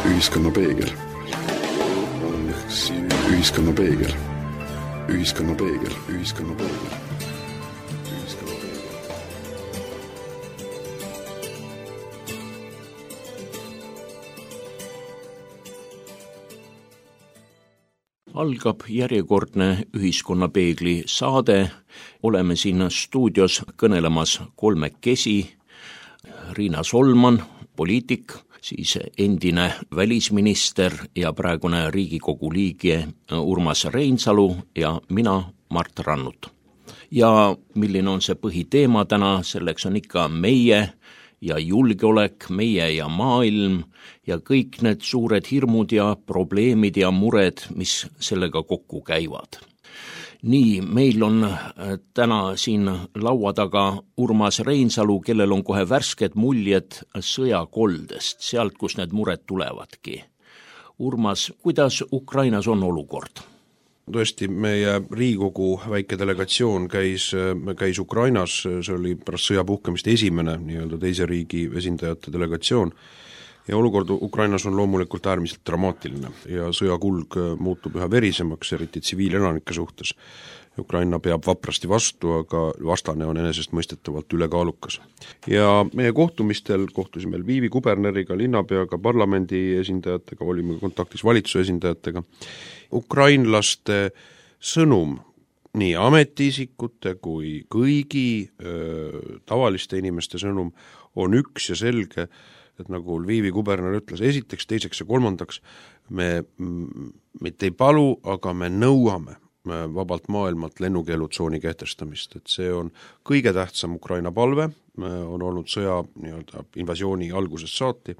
Ühiskonna peegel. Ühiskonna peegel. Ühiskonna peegel. Ühiskonna peegel. Algab järjekordne Ühiskonnapeegli saade. Oleme siin stuudios kõnelemas kolmekesi. Riina Solman, poliitik, siis endine välisminister ja praegune Riigikogu liige Urmas Reinsalu ja mina, Mart Rannut. Ja milline on see põhiteema täna, selleks on ikka meie ja julgeolek, meie ja maailm ja kõik need suured hirmud ja probleemid ja mured, mis sellega kokku käivad. Nii, meil on täna siin laua taga Urmas Reinsalu, kellel on kohe värsked muljed sõjakoldest, sealt, kus need mured tulevadki. Urmas, kuidas Ukrainas on olukord? Tõesti, meie Riigikogu väike delegatsioon käis Ukrainas, see oli pärast sõja puhkemist esimene nii-öelda teise riigi esindajate delegatsioon ja olukord Ukrainas on loomulikult äärmiselt dramaatiline ja sõjakulg muutub üha verisemaks, eriti tsiviilelanike suhtes. Ukraina peab vaprasti vastu, aga vastane on enesestmõistetavalt ülekaalukas. Ja meie kohtusime Lvivi kuberneriga, linnapeaga, parlamendi esindajatega, olime kontaktis valitsuse esindajatega. Ukrainlaste sõnum, nii ametiisikute kui kõigi tavaliste inimeste sõnum on üks ja selge, et nagu Lvivi kuberner ütles, esiteks, teiseks ja kolmandaks, me mitte ei palu, aga me nõuame vabalt maailmalt lennukeelutsooni kehtestamist, et see on kõige tähtsam Ukraina palve, on olnud sõja nii-öelda invasiooni algusest saati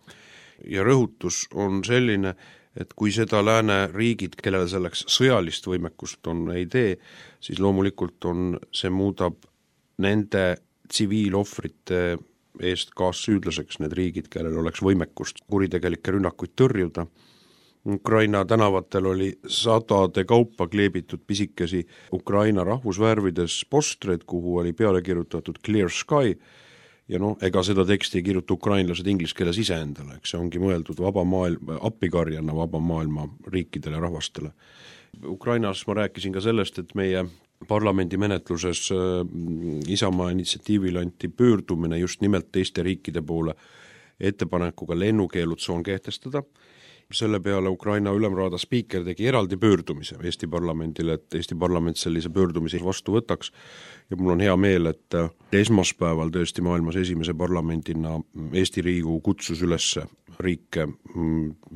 ja rõhutus on selline, et kui seda lääne riigid, kellele selleks sõjalist võimekust on, ei tee, siis loomulikult see muudab nende tsiviilohvrite eest kaassüüdlaseks need riigid, kellel oleks võimekust kuritegelikke rünnakuid tõrjuda. Ukraina tänavatel oli sadade kaupa kleebitud pisikesi Ukraina rahvusvärvides postreid, kuhu oli peale kirjutatud Clear Sky ja ega seda teksti ei kirjuta ukrainlased inglise keeles iseendale, eks see ongi mõeldud vaba maailma, appikarjana vaba maailma riikidele ja rahvastele. Ukrainas ma rääkisin ka sellest, et meie parlamendi menetluses Isamaa initsiatiivil anti pöördumine just nimelt teiste riikide poole ettepanekuga lennukeelutsoon kehtestada. Selle peale Ukraina ülemraada spiiker tegi eraldi pöördumise Eesti parlamendile, et Eesti parlament sellise pöördumise vastu võtaks ja mul on hea meel, et esmaspäeval tõesti maailmas esimese parlamendina Eesti Riigikogu kutsus üles riike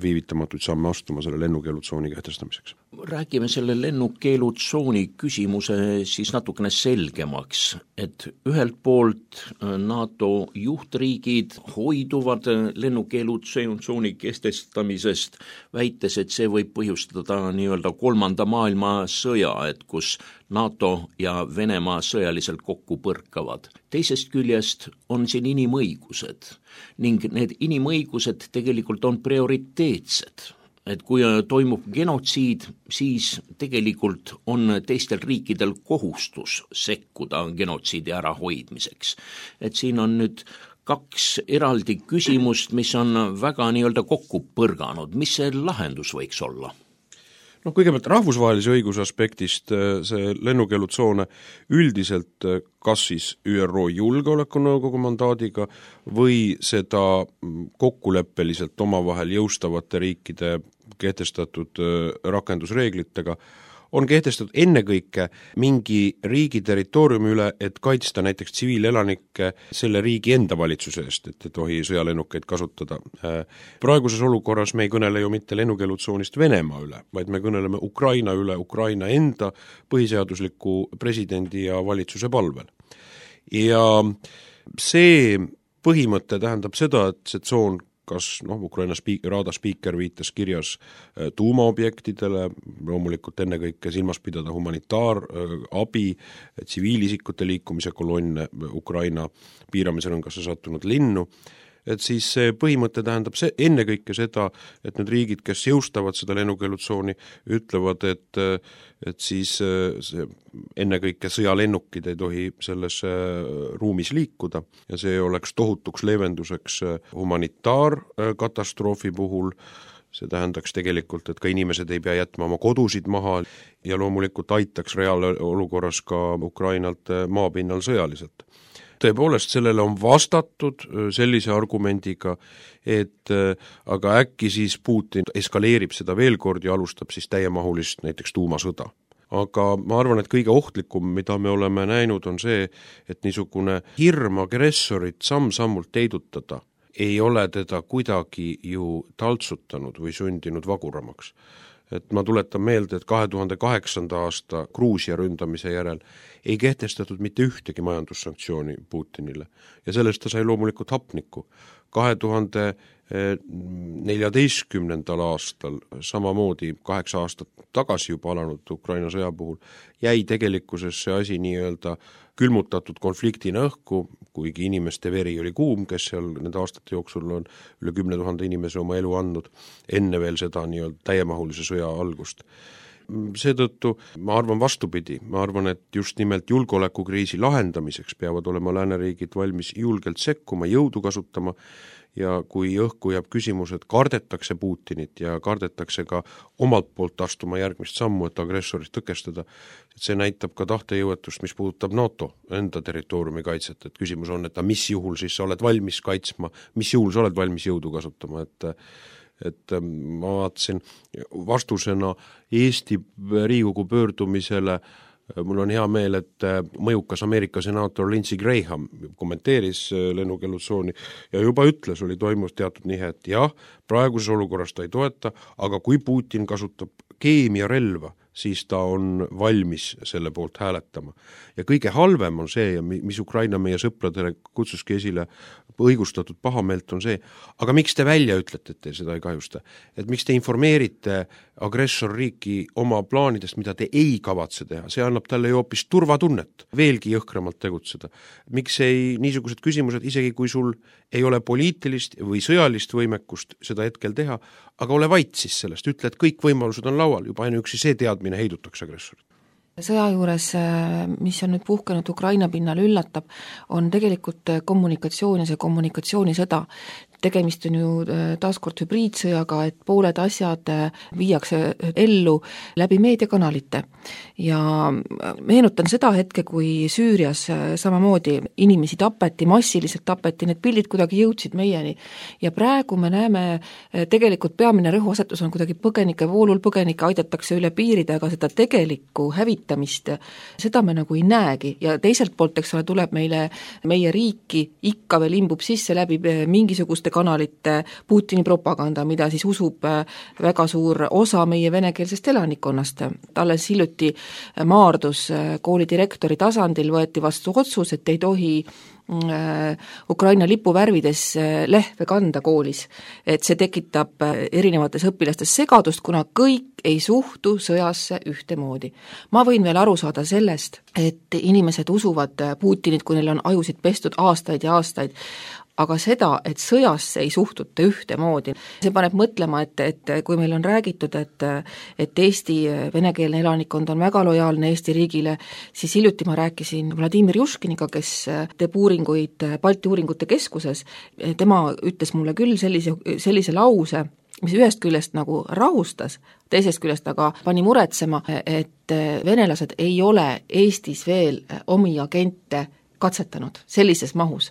viivitamatuid samme astuma selle lennukeelutsooni kehtestamiseks. Räägime selle lennukeelutsooni küsimuse siis natukene selgemaks, et ühelt poolt NATO juhtriigid hoiduvad lennukeelutsooni kehtestamisest, väites, et see võib põhjustada nii-öelda kolmanda maailma sõja, et kus NATO ja Venemaa sõjaliselt kokku põrkavad. Teisest küljest on siin inimõigused ning need inimõigused tegelikult on prioriteetsed. Et kui toimub genotsiid, siis tegelikult on teistel riikidel kohustus sekkuda genotsiidi ärahoidmiseks. Et siin on nüüd kaks eraldi küsimust, mis on väga nii-öelda kokku põrganud. Mis see lahendus võiks olla? Kõigepealt rahvusvahelise õiguse aspektist see lennukeelutsoone üldiselt kas siis ÜRO Julgeolekunõukogu mandaadiga või seda kokkuleppeliselt omavahel jõustavate riikide kehtestatud rakendusreeglitega on kehtestatud ennekõike mingi riigi territooriumi üle, et kaitsta näiteks tsiviilelanikke selle riigi enda valitsuse eest, et ei tohi sõjalennukeid kasutada. Praeguses olukorras me ei kõnele ju mitte lennukeelutsoonist Venemaa üle, vaid me kõneleme Ukraina üle Ukraina enda põhiseadusliku presidendi ja valitsuse palvel. Ja see põhimõte tähendab seda, et see tsoon kas Ukraina raada spiiker viitas kirjas tuumaobjektidele, loomulikult ennekõike silmas pidada humanitaarabi, tsiviilisikute liikumise kolonne Ukraina piiramisrõngasse sattunud linnu. et siis see põhimõte tähendab ennekõike seda, et need riigid, kes jõustavad seda lennukeelutsooni, ütlevad, et siis see ennekõike sõjalennukid ei tohi selles ruumis liikuda ja see oleks tohutuks leevenduseks humanitaarkatastroofi puhul. See tähendaks tegelikult, et ka inimesed ei pea jätma oma kodusid maha ja loomulikult aitaks reaalolukorras ka Ukrainalt maapinnal sõjaliselt. Tõepoolest, sellele on vastatud sellise argumendiga, et aga äkki siis Putin eskaleerib seda veel kord ja alustab siis täiemahulist näiteks tuumasõda. Aga ma arvan, et kõige ohtlikum, mida me oleme näinud, on see, et niisugune hirm agressorit samm-sammult heidutada ei ole teda kuidagi ju taltsutanud või sundinud vaguramaks. Et ma tuletan meelde, et 2008. aasta Gruusia ründamise järel ei kehtestatud mitte ühtegi majandussanktsiooni Putinile ja sellest ta sai loomulikult hapnikku. 2014. aastal, samamoodi 8 aastat tagasi juba alanud Ukraina sõja puhul, jäi tegelikkuses see asi nii-öelda külmutatud konfliktina õhku, kuigi inimeste veri oli kuum, kes seal nende aastate jooksul on üle 10 000 inimese oma elu andnud, enne veel seda nii-öelda täiemahulise sõja algust. Seetõttu ma arvan vastupidi, ma arvan, et just nimelt julgeolekukriisi lahendamiseks peavad olema lääneriigid valmis julgelt sekkuma, jõudu kasutama ja kui õhku jääb küsimus, et kardetakse Putinit ja kardetakse ka omalt poolt astuma järgmist sammu, et agressorist tõkestada, et see näitab ka tahtejõuetust, mis puudutab NATO enda territooriumi kaitset, et küsimus on, et mis juhul siis sa oled valmis kaitsma, mis juhul sa oled valmis jõudu kasutama, et ma vaatasin vastusena Eesti Riigikogu pöördumisele, mul on hea meel, et mõjukas Ameerika senaator Lindsey Graham kommenteeris lennukeelutsooni ja juba ütles, toimus teatud nihe, et jah, praeguses olukorras ta ei toeta, aga kui Putin kasutab keemiarelva, siis ta on valmis selle poolt hääletama. Ja kõige halvem on see, mis Ukraina meie sõpradele kutsuski esile õigustatud pahameelt, on see, aga miks te välja ütlete, et te seda ei kahjusta? Et miks te informeerite agressorriiki oma plaanidest, mida te ei kavatse teha? See annab talle ju hoopis turvatunnet, veelgi jõhkramalt tegutseda. Miks niisugused küsimused, isegi kui sul ei ole poliitilist või sõjalist võimekust seda hetkel teha, aga ole vait siis sellest, ütle, et kõik võimalused on laual, juba ainuüksi see teadmine heidutakse agressorit. Sõja juures, mis on nüüd puhkenud Ukraina pinnal, üllatab, on tegelikult kommunikatsioon ja see kommunikatsioonisõda. Tegemist on ju taaskord hübriidsõjaga, et pooled asjad viiakse ellu läbi meediakanalite. Ja meenutan seda hetke, kui Süürias samamoodi inimesi tapeti, massiliselt tapeti, need pildid kuidagi jõudsid meieni. Ja praegu me näeme, tegelikult peamine rõhuasetus on kuidagi põgenike voolul, põgenike aidatakse üle piirida, aga seda tegelikku hävitamist, seda me nagu ei näegi. Ja teiselt poolt, eks ole, tuleb meie riiki ikka veel imbub sisse läbi mingisugust kanalite Putini propaganda, mida siis usub väga suur osa meie venekeelsest elanikkonnast. Alles hiljuti Maardus koolidirektori tasandil võeti vastu otsus, et ei tohi Ukraina lipuvärvides lehve kanda koolis, et see tekitab erinevates õpilastes segadust, kuna kõik ei suhtu sõjasse ühtemoodi. Ma võin veel aru saada sellest, et inimesed usuvad Putinit, kui neil on ajusid pestud aastaid ja aastaid, aga seda, et sõjasse ei suhtuta ühtemoodi. See paneb mõtlema, et kui meil on räägitud, et Eesti venekeelne elanikkond on väga lojaalne Eesti riigile, siis hiljuti ma rääkisin Vladimir Juškiniga, kes teeb uuringuid Balti uuringute keskuses. Tema ütles mulle küll sellise lause, mis ühest küljest nagu rahustas, teisest küljest aga pani muretsema, et venelased ei ole Eestis veel omi agente katsetanud sellises mahus.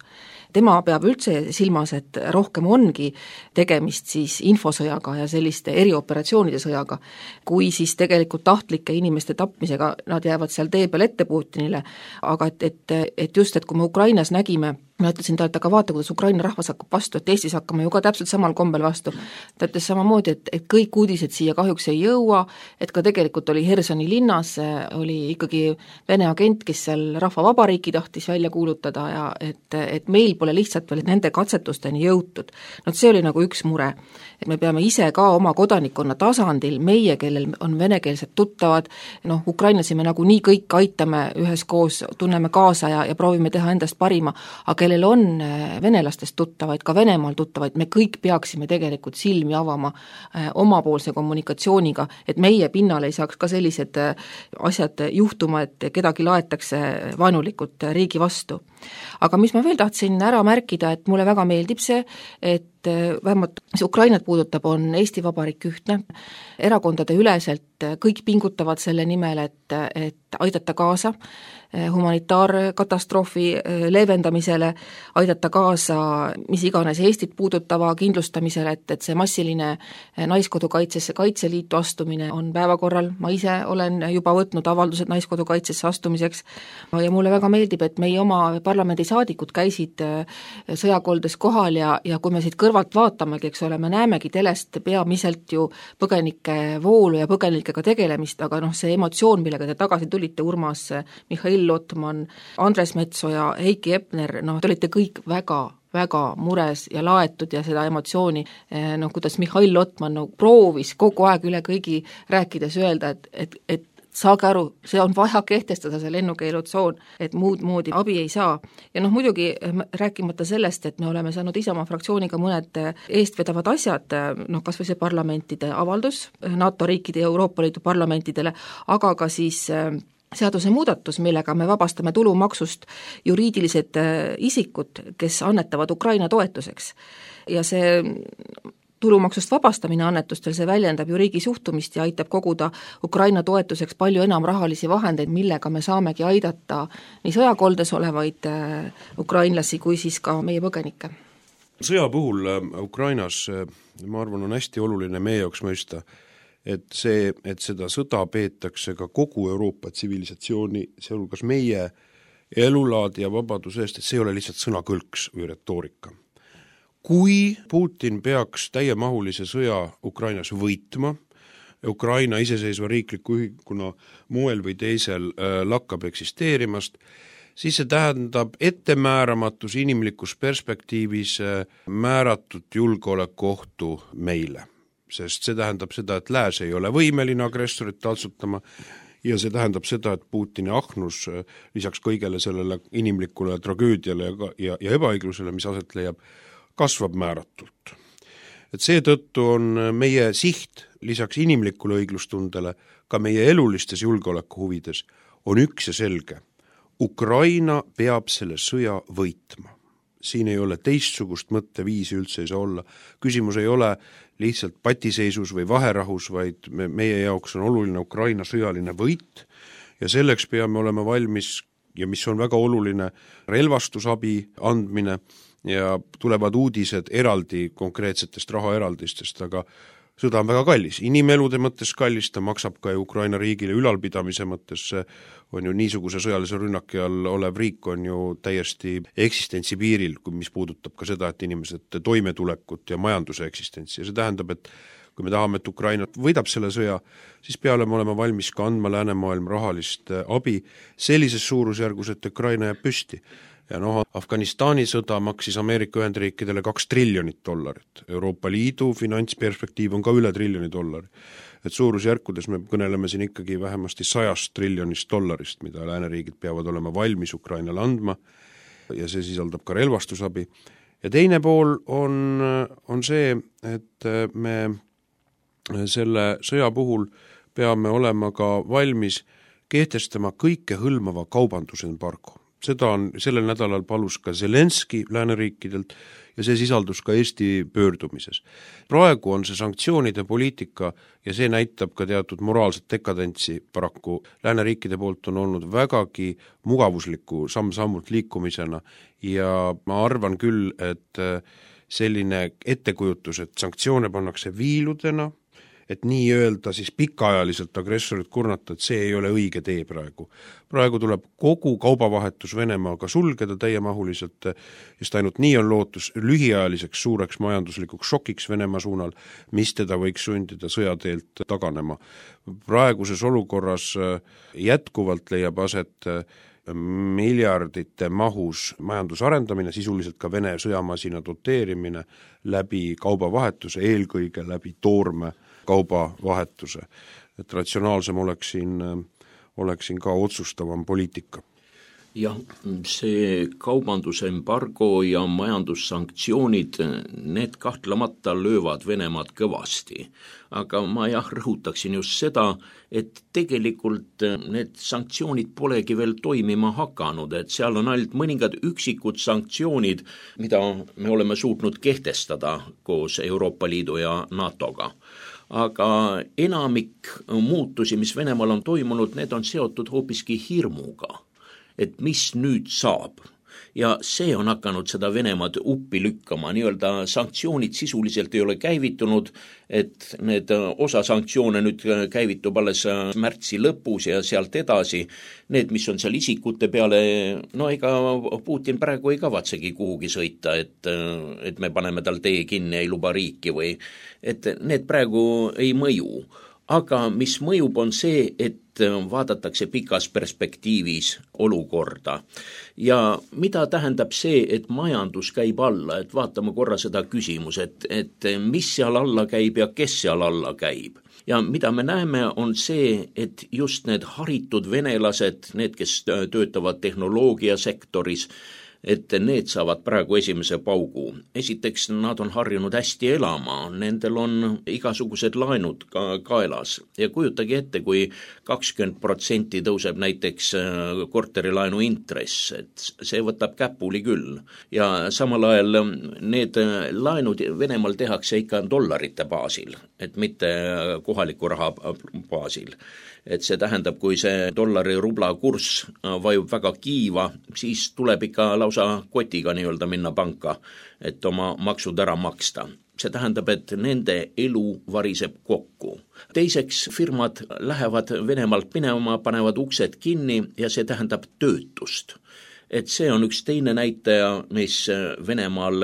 Tema peab üldse silmas, et rohkem ongi tegemist siis infosõjaga ja selliste erioperatsioonide sõjaga, kui siis tegelikult tahtlike inimeste tapmisega, nad jäävad seal tee peal ette Putinile, aga et just, et kui me Ukrainas nägime, ma ütlesin talle, et aga vaata, kuidas Ukraina rahvas hakkab vastu, et Eestis hakkame ju ka täpselt samal kombel vastu. Ta ütles samamoodi, et kõik uudised siia kahjuks ei jõua, et ka tegelikult oli Hersoni linnas, oli ikkagi Vene agent, kes seal rahvavabariiki tahtis välja kuulutada ja et meil pole lihtsalt veel nende katsetusteni jõutud. See oli nagu üks mure. Et me peame ise ka oma kodanikkonna tasandil, meie, kellel on venekeelsed tuttavad, Ukrainlasi me nagu nii kõik aitame üheskoos, tunneme kaasa ja proovime teha endast parima, aga kellel on venelastest tuttavaid, ka Venemaal tuttavaid, me kõik peaksime tegelikult silmi avama omapoolse kommunikatsiooniga, et meie pinnal ei saaks ka sellised asjad juhtuma, et kedagi laetakse vaenulikult riigi vastu. Aga mis ma veel tahtsin ära märkida, et mulle väga meeldib see, et vähemalt mis Ukrainat puudutab, on Eesti Vabariik ühtne, erakondade üleselt kõik pingutavad selle nimel, et aidata kaasa humanitaarkatastroofi leevendamisele, aidata kaasa mis iganes Eestit puudutava kindlustamisele, et see massiline naiskodukaitsesse Kaitseliitu astumine on päevakorral, ma ise olen juba võtnud avaldused naiskodukaitsesse astumiseks ja mulle väga meeldib, et meie oma parlamendisaadikud käisid sõjakoldes kohal ja kui me siit kõrvalt vaatamegi, eks ole, me näemegi telest peamiselt ju põgenike voolu ja põgenikega tegelemist, aga see emotsioon, millega te tagasi tulite, Urmas, Mihhail Lotman, Andres Metsoja, Heiki Epner, te olite kõik väga mures ja laetud ja seda emotsiooni, kuidas Mihhail Lotman proovis kogu aeg üle kõigi rääkides öelda, et saage aru, see on vaja kehtestada see lennukeelutsoon, et muud moodi abi ei saa. Ja muidugi rääkimata sellest, et me oleme saanud Isamaa fraktsiooniga mõned eestvedavad asjad, kas või see parlamentide avaldus NATO riikide ja Euroopa Liidu parlamentidele, aga ka siis seaduse muudatus, millega me vabastame tulumaksust juriidilised isikud, kes annetavad Ukraina toetuseks. Ja see tulumaksust vabastamine annetustel, see väljendab ju riigi suhtumist ja aitab koguda Ukraina toetuseks palju enam rahalisi vahendeid, millega me saamegi aidata nii sõjakoldes olevaid ukrainlasi kui siis ka meie põgenikke. Sõja puhul Ukrainas, ma arvan, on hästi oluline meie jaoks mõista, et seda sõda peetakse ka kogu Euroopa tsivilisatsiooni, sealhulgas meie elulaadi ja vabaduse eest, et see ei ole lihtsalt sõnakõlks või retoorika. Kui Putin peaks täiemahulise sõja Ukrainas võitma, Ukraina iseseisva riikliku ühikuna moel või teisel lakkab eksisteerimast, siis see tähendab ettemääramatus inimlikus perspektiivis määratud julgeolekuohtu meile. Sest see tähendab seda, et lääs ei ole võimeline agressorit taltsutama ja see tähendab seda, et Putini ahnus lisaks kõigele sellele inimlikule tragöödiale ja ebaõiglusele, mis aset leiab, kasvab määratult. Et seetõttu on meie siht lisaks inimlikule õiglustundele ka meie elulistes julgeolekuhuvides on üks ja selge. Ukraina peab selle sõja võitma. Siin ei ole teistsugust mõtteviisi üldse ei saa olla. Küsimus ei ole lihtsalt patiseisus või vaherahus, vaid meie jaoks on oluline Ukraina sõjaline võit ja selleks peame olema valmis ja mis on väga oluline relvastusabi andmine ja tulevad uudised eraldi konkreetsetest rahaeraldistest, aga sõda on väga kallis, inimelude mõttes kallis, ta maksab ka Ukraina riigile ülalpidamise mõttes, on ju niisuguse sõjalise rünnaki all olev riik on ju täiesti eksistentsi piiril, mis puudutab ka seda, et inimesed toimetulekut ja majanduse eksistentsi ja see tähendab, et kui me tahame, et Ukraina võidab selle sõja, siis peame olema valmis ka andma läänemaailm rahalist abi sellises suurusjärgus, et Ukraina jääb püsti. Ja Afganistani sõda maksis Ameerika Ühendriikidele $2 triljonit. Euroopa Liidu finantsperspektiiv on ka üle $1 triljoni. Et suurusjärkudes me kõneleme siin ikkagi vähemasti $100 triljonist, mida lääneriigid peavad olema valmis Ukrainale andma ja see sisaldab ka relvastusabi. Ja teine pool on see, et me selle sõja puhul peame olema ka valmis kehtestama kõike hõlmava kaubandusembargo. Seda on sellel nädalal palus ka Zelenski lääneriikidelt ja see sisaldus ka Eesti pöördumises. Praegu on see sanktsioonide poliitika ja see näitab ka teatud moraalset dekadentsi paraku. Lääneriikide poolt on olnud vägagi mugavusliku samm-sammult liikumisena ja ma arvan küll, et selline ettekujutus, et sanktsioone pannakse viiludena, et nii öelda siis pikaajaliselt agressorit kurnata, et see ei ole õige tee praegu. Praegu tuleb kogu kaubavahetus Venemaaga sulgeda täiemahuliselt, just ainult nii on lootus lühiajaliseks suureks majanduslikuks šokiks Venemaa suunal, mis teda võiks sundida sõjateelt taganema. Praeguses olukorras jätkuvalt leiab aset miljardite mahus majandusarendamine, sisuliselt ka Vene sõjamasina doteerimine läbi kaubavahetuse, eelkõige läbi toorme kaubavahetuse. Et ratsionaalsem oleks siin ka otsustavam poliitika. Jah, see kaubandusembargo ja majandussanktsioonid, need kahtlemata löövad Venemaad kõvasti. Aga ma rõhutaksin just seda, et tegelikult need sanktsioonid polegi veel toimima hakanud, et seal on ainult mõningad üksikud sanktsioonid, mida me oleme suutnud kehtestada koos Euroopa Liidu ja NATOga. Aga enamik muutusi, mis Venemaal on toimunud, need on seotud hoopiski hirmuga, et mis nüüd saab. Ja see on hakanud seda Venemaad uppi lükkama, nii-öelda sanktsioonid sisuliselt ei ole käivitunud, et need osa sanktsioone nüüd käivitub alles märtsi lõpus ja sealt edasi. Need, mis on seal isikute peale, no ega Putin praegu ei kavatsegi kuhugi sõita, et me paneme tal tee kinni, ei luba riiki või, et need praegu ei mõju. Aga mis mõjub on see, et vaadatakse pikas perspektiivis olukorda. Ja mida tähendab see, et majandus käib alla, et vaatame korra seda küsimus, et mis seal alla käib ja kes seal alla käib. Ja mida me näeme on see, et just need haritud venelased, need, kes töötavad tehnoloogiasektoris, et need saavad praegu esimese paugu. Esiteks, nad on harjunud hästi elama, nendel on igasugused laenud kaelas ja kujutage ette, kui 20% tõuseb näiteks korterilaenu intress, et see võtab käpuli küll. Ja samal ajal need laenud Venemaal tehakse ikka dollarite baasil, et mitte kohaliku raha baasil. Et see tähendab, kui see dollari rubla kurss vajub väga kiiva, siis tuleb ikka lausa kotiga nii-öelda minna panka, et oma maksud ära maksta. See tähendab, et nende elu variseb kokku. Teiseks, firmad lähevad Venemaalt minema, panevad uksed kinni ja see tähendab töötust. Et see on üks teine näitaja, mis Venemaal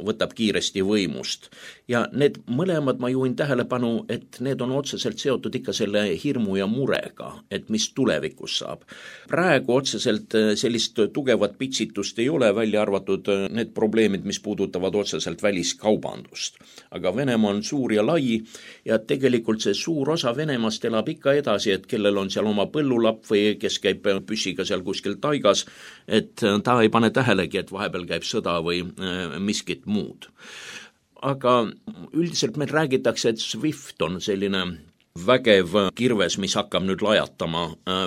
võtab kiiresti võimust. Ja need mõlemad ma juhin tähelepanu, et need on otseselt seotud ikka selle hirmu ja murega, et mis tulevikus saab. Praegu otseselt sellist tugevat pitsitust ei ole, välja arvatud need probleemid, mis puudutavad otseselt väliskaubandust. Aga Venemaa on suur ja lai ja tegelikult see suur osa Venemaast elab ikka edasi, et kellel on seal oma põllulapp või kes käib püssiga seal kuskil taigas, et ta ei pane tähelegi, et vahepeal käib sõda või miskit muud. Aga üldiselt meil räägitakse, et SWIFT on selline vägev kirves, mis hakkab nüüd lajatama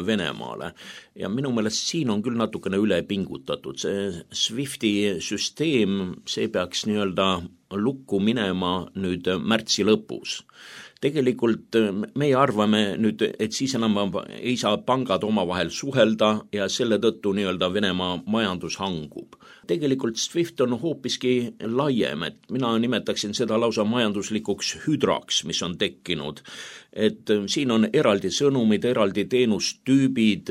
Venemaale. Ja minu meelest siin on küll natukene üle pingutatud. See SWIFTi süsteem, see peaks nii-öelda lukku minema nüüd märtsi lõpus. Tegelikult meie arvame nüüd, et siis enam ei saa pangad omavahel suhelda ja selle tõttu nii-öelda Venemaa majandus hangub. Tegelikult SWIFT on hoopiski laiem, et mina nimetaksin seda lausa majanduslikuks hüdraks, mis on tekkinud. Et siin on eraldi sõnumid, eraldi teenustüübid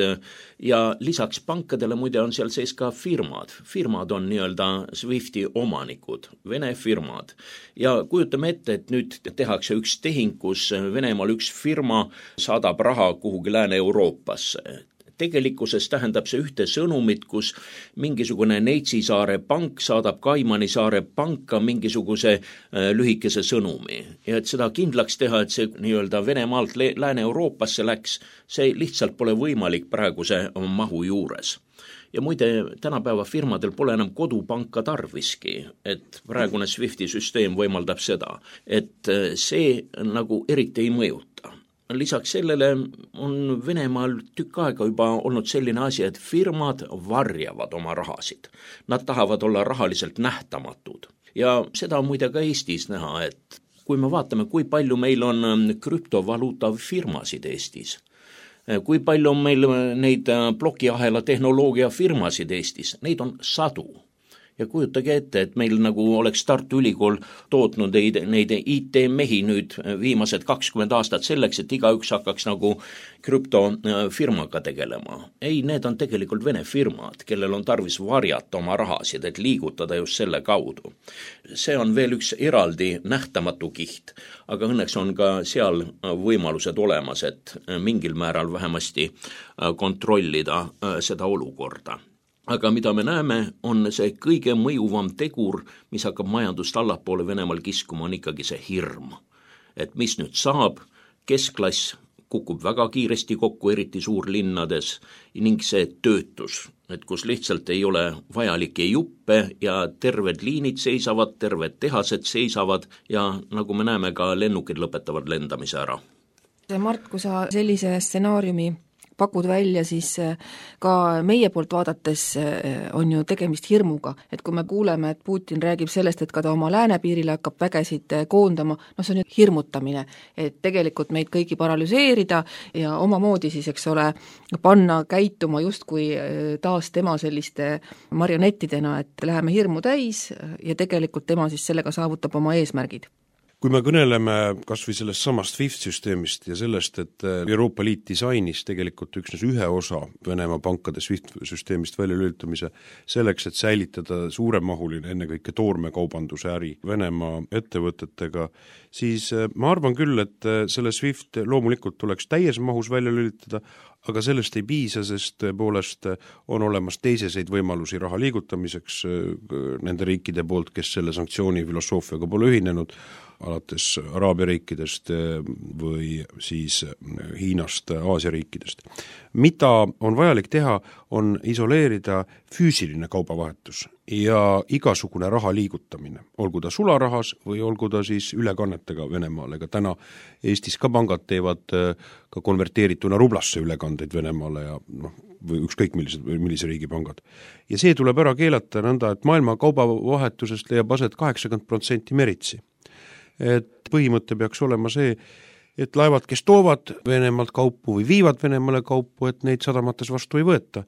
ja lisaks pankadele muide on seal sees ka firmad. Firmad on nii-öelda SWIFTi omanikud, Vene firmad. Ja kujutame ette, et nüüd tehakse üks tehing, kus Venemaal üks firma saadab raha kuhugi Lääne-Euroopasse. Tegelikkuses tähendab see ühte sõnumit, kus mingisugune Neitsisaare pank saadab Kaimani saare panka mingisuguse lühikese sõnumi. Ja et seda kindlaks teha, et see nii-öelda Venemaalt Lääne-Euroopasse läks, see lihtsalt pole võimalik praeguse mahu juures. Ja muide, tänapäeva firmadel pole enam kodupanka tarviski, et praegune SWIFTi süsteem võimaldab seda, et see nagu eriti ei mõjuta. Lisaks sellele on Venemaal tükk aega juba olnud selline asi, et firmad varjavad oma rahasid. Nad tahavad olla rahaliselt nähtamatud. Ja seda on muide ka Eestis näha, et kui me vaatame, kui palju meil on krüptovaluuta firmasid Eestis, kui palju on meil neid plokiahela tehnoloogia firmasid Eestis, neid on sadu. Ja kujutage ette, et meil nagu oleks Tartu Ülikool tootnud neid IT-mehi nüüd viimased 20 aastat selleks, et igaüks hakkaks nagu krüptofirmaga tegelema. Ei, need on tegelikult Vene firmad, kellel on tarvis varjata oma rahasid, et liigutada just selle kaudu. See on veel üks eraldi nähtamatu kiht, aga õnneks on ka seal võimalused olemas, et mingil määral vähemasti kontrollida seda olukorda. Aga mida me näeme, on see kõige mõjuvam tegur, mis hakkab majandust allapoole Venemaal kiskuma, on ikkagi see hirm. Et mis nüüd saab, keskklass kukub väga kiiresti kokku, eriti suurlinnades, ning see töötus, et kus lihtsalt ei ole vajalikke juppe ja terved liinid seisavad, terved tehased seisavad ja nagu me näeme, ka lennukid lõpetavad lendamise ära. Mart, kui sa sellise stsenaariumi pakud välja, siis ka meie poolt vaadates on ju tegemist hirmuga, et kui me kuuleme, et Putin räägib sellest, et ka ta oma läänepiirile hakkab vägesid koondama, see on ju hirmutamine, et tegelikult meid kõigi paralüseerida ja omamoodi siis, eks ole, panna käituma justkui taas tema selliste marionettidena, et läheme hirmu täis ja tegelikult tema siis sellega saavutab oma eesmärgid. Kui me kõneleme kas või sellest samast SWIFT-süsteemist ja sellest, et Euroopa Liit disainis tegelikult üksnes ühe osa Venemaa pankade SWIFT-süsteemist välja lülitamise selleks, et säilitada suuremahuline ennekõike toormekaubanduse äri Venemaa ettevõtetega, siis ma arvan küll, et selle SWIFT loomulikult tuleks täies mahus välja lülitada, aga sellest ei piisa, sest tõepoolest on olemas teiseseid võimalusi raha liigutamiseks nende riikide poolt, kes selle sanktsiooni filosoofiaga pole ühinenud, alates Araabia riikidest või siis Hiinast, Aasia riikidest. Mida on vajalik teha, on isoleerida füüsiline kaubavahetus ja igasugune raha liigutamine, olgu ta sularahas või olgu ta siis ülekannetega Venemaale, ega täna Eestis ka pangad teevad ka konverteerituna rublasse ülekandeid Venemaale ja või ükskõik millise riigi pangad. Ja see tuleb ära keelata nõnda, et maailma kaubavahetusest leiab aset 80% meritsi. Et põhimõte peaks olema see, et laevad, kes toovad Venemaalt kaupu või viivad Venemaale kaupu, et neid sadamates vastu ei võeta.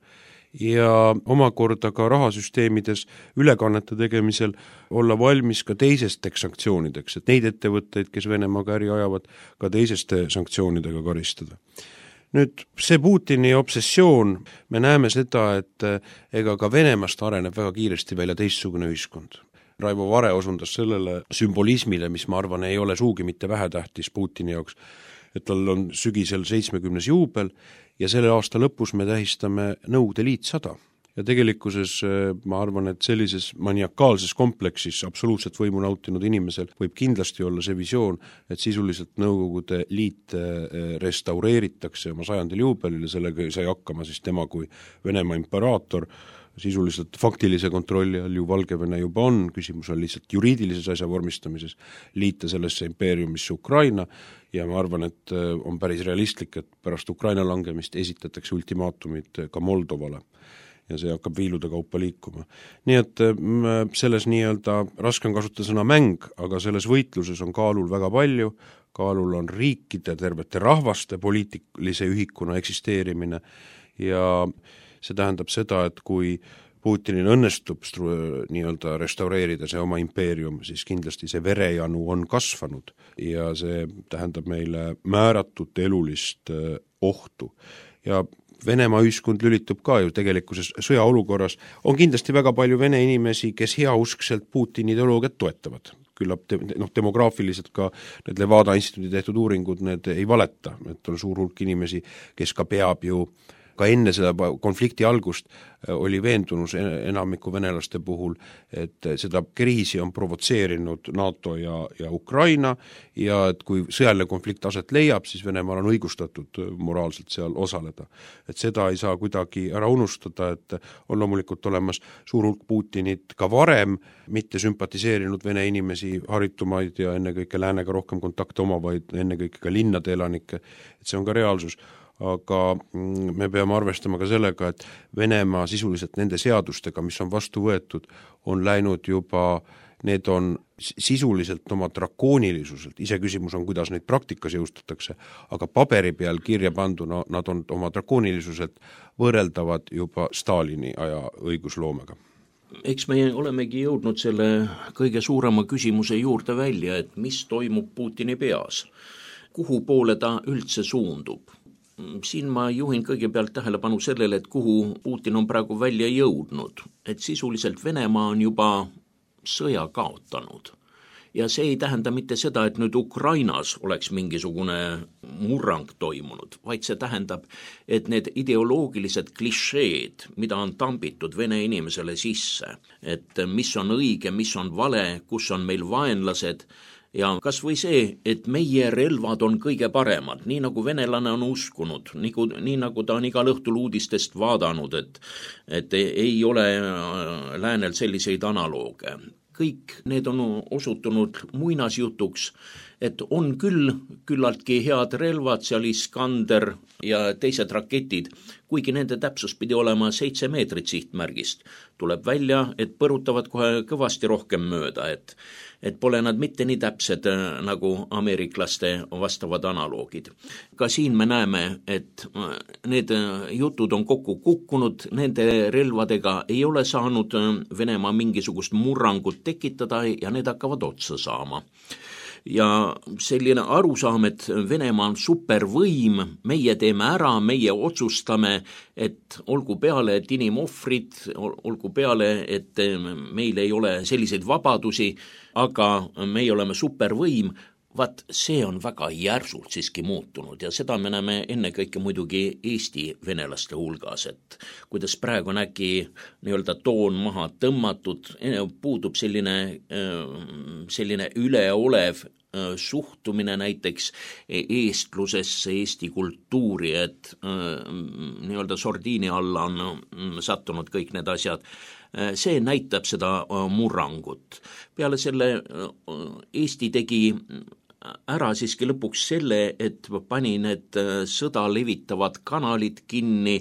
Ja omakorda ka rahasüsteemides ülekannete tegemisel olla valmis ka teisesteks sanktsioonideks, et neid ettevõtteid, kes Venemaaga äri ajavad, ka teiseste sanktsioonidega karistada. Nüüd see Putini obsessioon, me näeme seda, et ega ka Venemaast areneb väga kiiresti välja teistsugune ühiskond. Raivo Vare osundas sellele sümbolismile, mis ma arvan ei ole suugi mitte vähetähtis Putini jaoks, et tal on sügisel 70. juubel ja selle aasta lõpus me tähistame Nõukogude Liit 100. Ja tegelikkuses ma arvan, et sellises maniakaalses kompleksis absoluutselt võimu nautinud inimesel võib kindlasti olla see visioon, et sisuliselt Nõukogude Liit restaureeritakse oma 100. juubelil ja sellega sai hakkama siis tema kui Venemaa imperaator, sisuliselt faktilise kontrolli all ju Valgevene juba on, küsimus on lihtsalt juriidilises asja vormistamises, liita sellesse impeeriumisse Ukraina ja ma arvan, et on päris realistlik, et pärast Ukraina langemist esitatakse ultimaatumid ka Moldovale ja see hakkab viilude kaupa liikuma. Nii et selles nii-öelda raske on kasutada sõna mäng, aga selles võitluses on kaalul väga palju, kaalul on riikide, tervete rahvaste poliitilise ühikuna eksisteerimine ja see tähendab seda, et kui Putinil õnnestub nii-öelda restaureerida see oma impeerium, siis kindlasti see verejanu on kasvanud ja see tähendab meile määratut elulist ohtu. Ja Venemaa ühiskond lülitub ka ju tegelikkuses sõjaolukorras, on kindlasti väga palju vene inimesi, kes heauskselt Putini ideoloogiat toetavad. Küllap demograafiliselt ka need Levada instituudi tehtud uuringud, need ei valeta, et on suur hulk inimesi, kes ka peab ju ka enne seda konflikti algust oli veendunus enamiku venelaste puhul, et seda kriisi on provotseerinud NATO ja Ukraina ja et kui sõjaline konflikt aset leiab, siis Venemaal on õigustatud moraalselt seal osaleda. Et seda ei saa kuidagi ära unustada, et on loomulikult olemas suur hulk Putinit ka varem mitte sümpatiseerinud vene inimesi, haritumaid ja ennekõike läänega rohkem kontakte omavaid, ennekõike ka linnade elanikke, et see on ka reaalsus. Aga me peame arvestama ka sellega, et Venemaa sisuliselt nende seadustega, mis on vastu võetud, on läinud juba, need on sisuliselt oma drakoonilisuselt, ise küsimus on, kuidas neid praktikas jõustatakse, aga paberi peal kirja panduna nad on oma drakoonilisuselt võrreldavad juba Stalini aja õigusloomega. Eks me olemegi jõudnud selle kõige suurema küsimuse juurde välja, et mis toimub Putini peas, kuhu poole ta üldse suundub. Siin ma juhin kõigepealt tähelepanu sellele, et kuhu Putin on praegu välja jõudnud, et sisuliselt Venemaa on juba sõja kaotanud. Ja see ei tähenda mitte seda, et nüüd Ukrainas oleks mingisugune murrang toimunud, vaid see tähendab, et need ideoloogilised klišeed, mida on tambitud vene inimesele sisse, et mis on õige, mis on vale, kus on meil vaenlased, ja kas või see, et meie relvad on kõige paremad, nii nagu venelane on uskunud, nii nagu ta on igal õhtul uudistest vaadanud, et ei ole läänel selliseid analooge. Kõik need on osutunud muinasjutuks, et on küll küllaltki head relvad, seal Iskander ja teised raketid, kuigi nende täpsus pidi olema 7 meetrit sihtmärgist. Tuleb välja, et põrutavad kohe kõvasti rohkem mööda, et pole nad mitte nii täpsed nagu ameeriklaste vastavad analoogid. Ka siin me näeme, et need jutud on kokku kukkunud, nende relvadega ei ole saanud Venemaa mingisugust murrangut tekitada ja need hakkavad otsa saama. Ja selline arusaam, et Venemaa on supervõim, meie teeme ära, meie otsustame, et olgu peale, et inimohvrid, olgu peale, et meil ei ole selliseid vabadusi, aga meie oleme supervõim, vaat see on väga järsult siiski muutunud ja seda me näeme ennekõike muidugi Eesti venelaste hulgas, et kuidas praegu on äkki nii-öelda toon maha tõmmatud, puudub selline üleolev suhtumine näiteks eestlusesse, Eesti kultuuri, et nii-öelda sordiini alla on sattunud kõik need asjad. See näitab seda murrangut. Peale selle Eesti tegi ära siiski lõpuks selle, et pani need sõda levitavad kanalid kinni.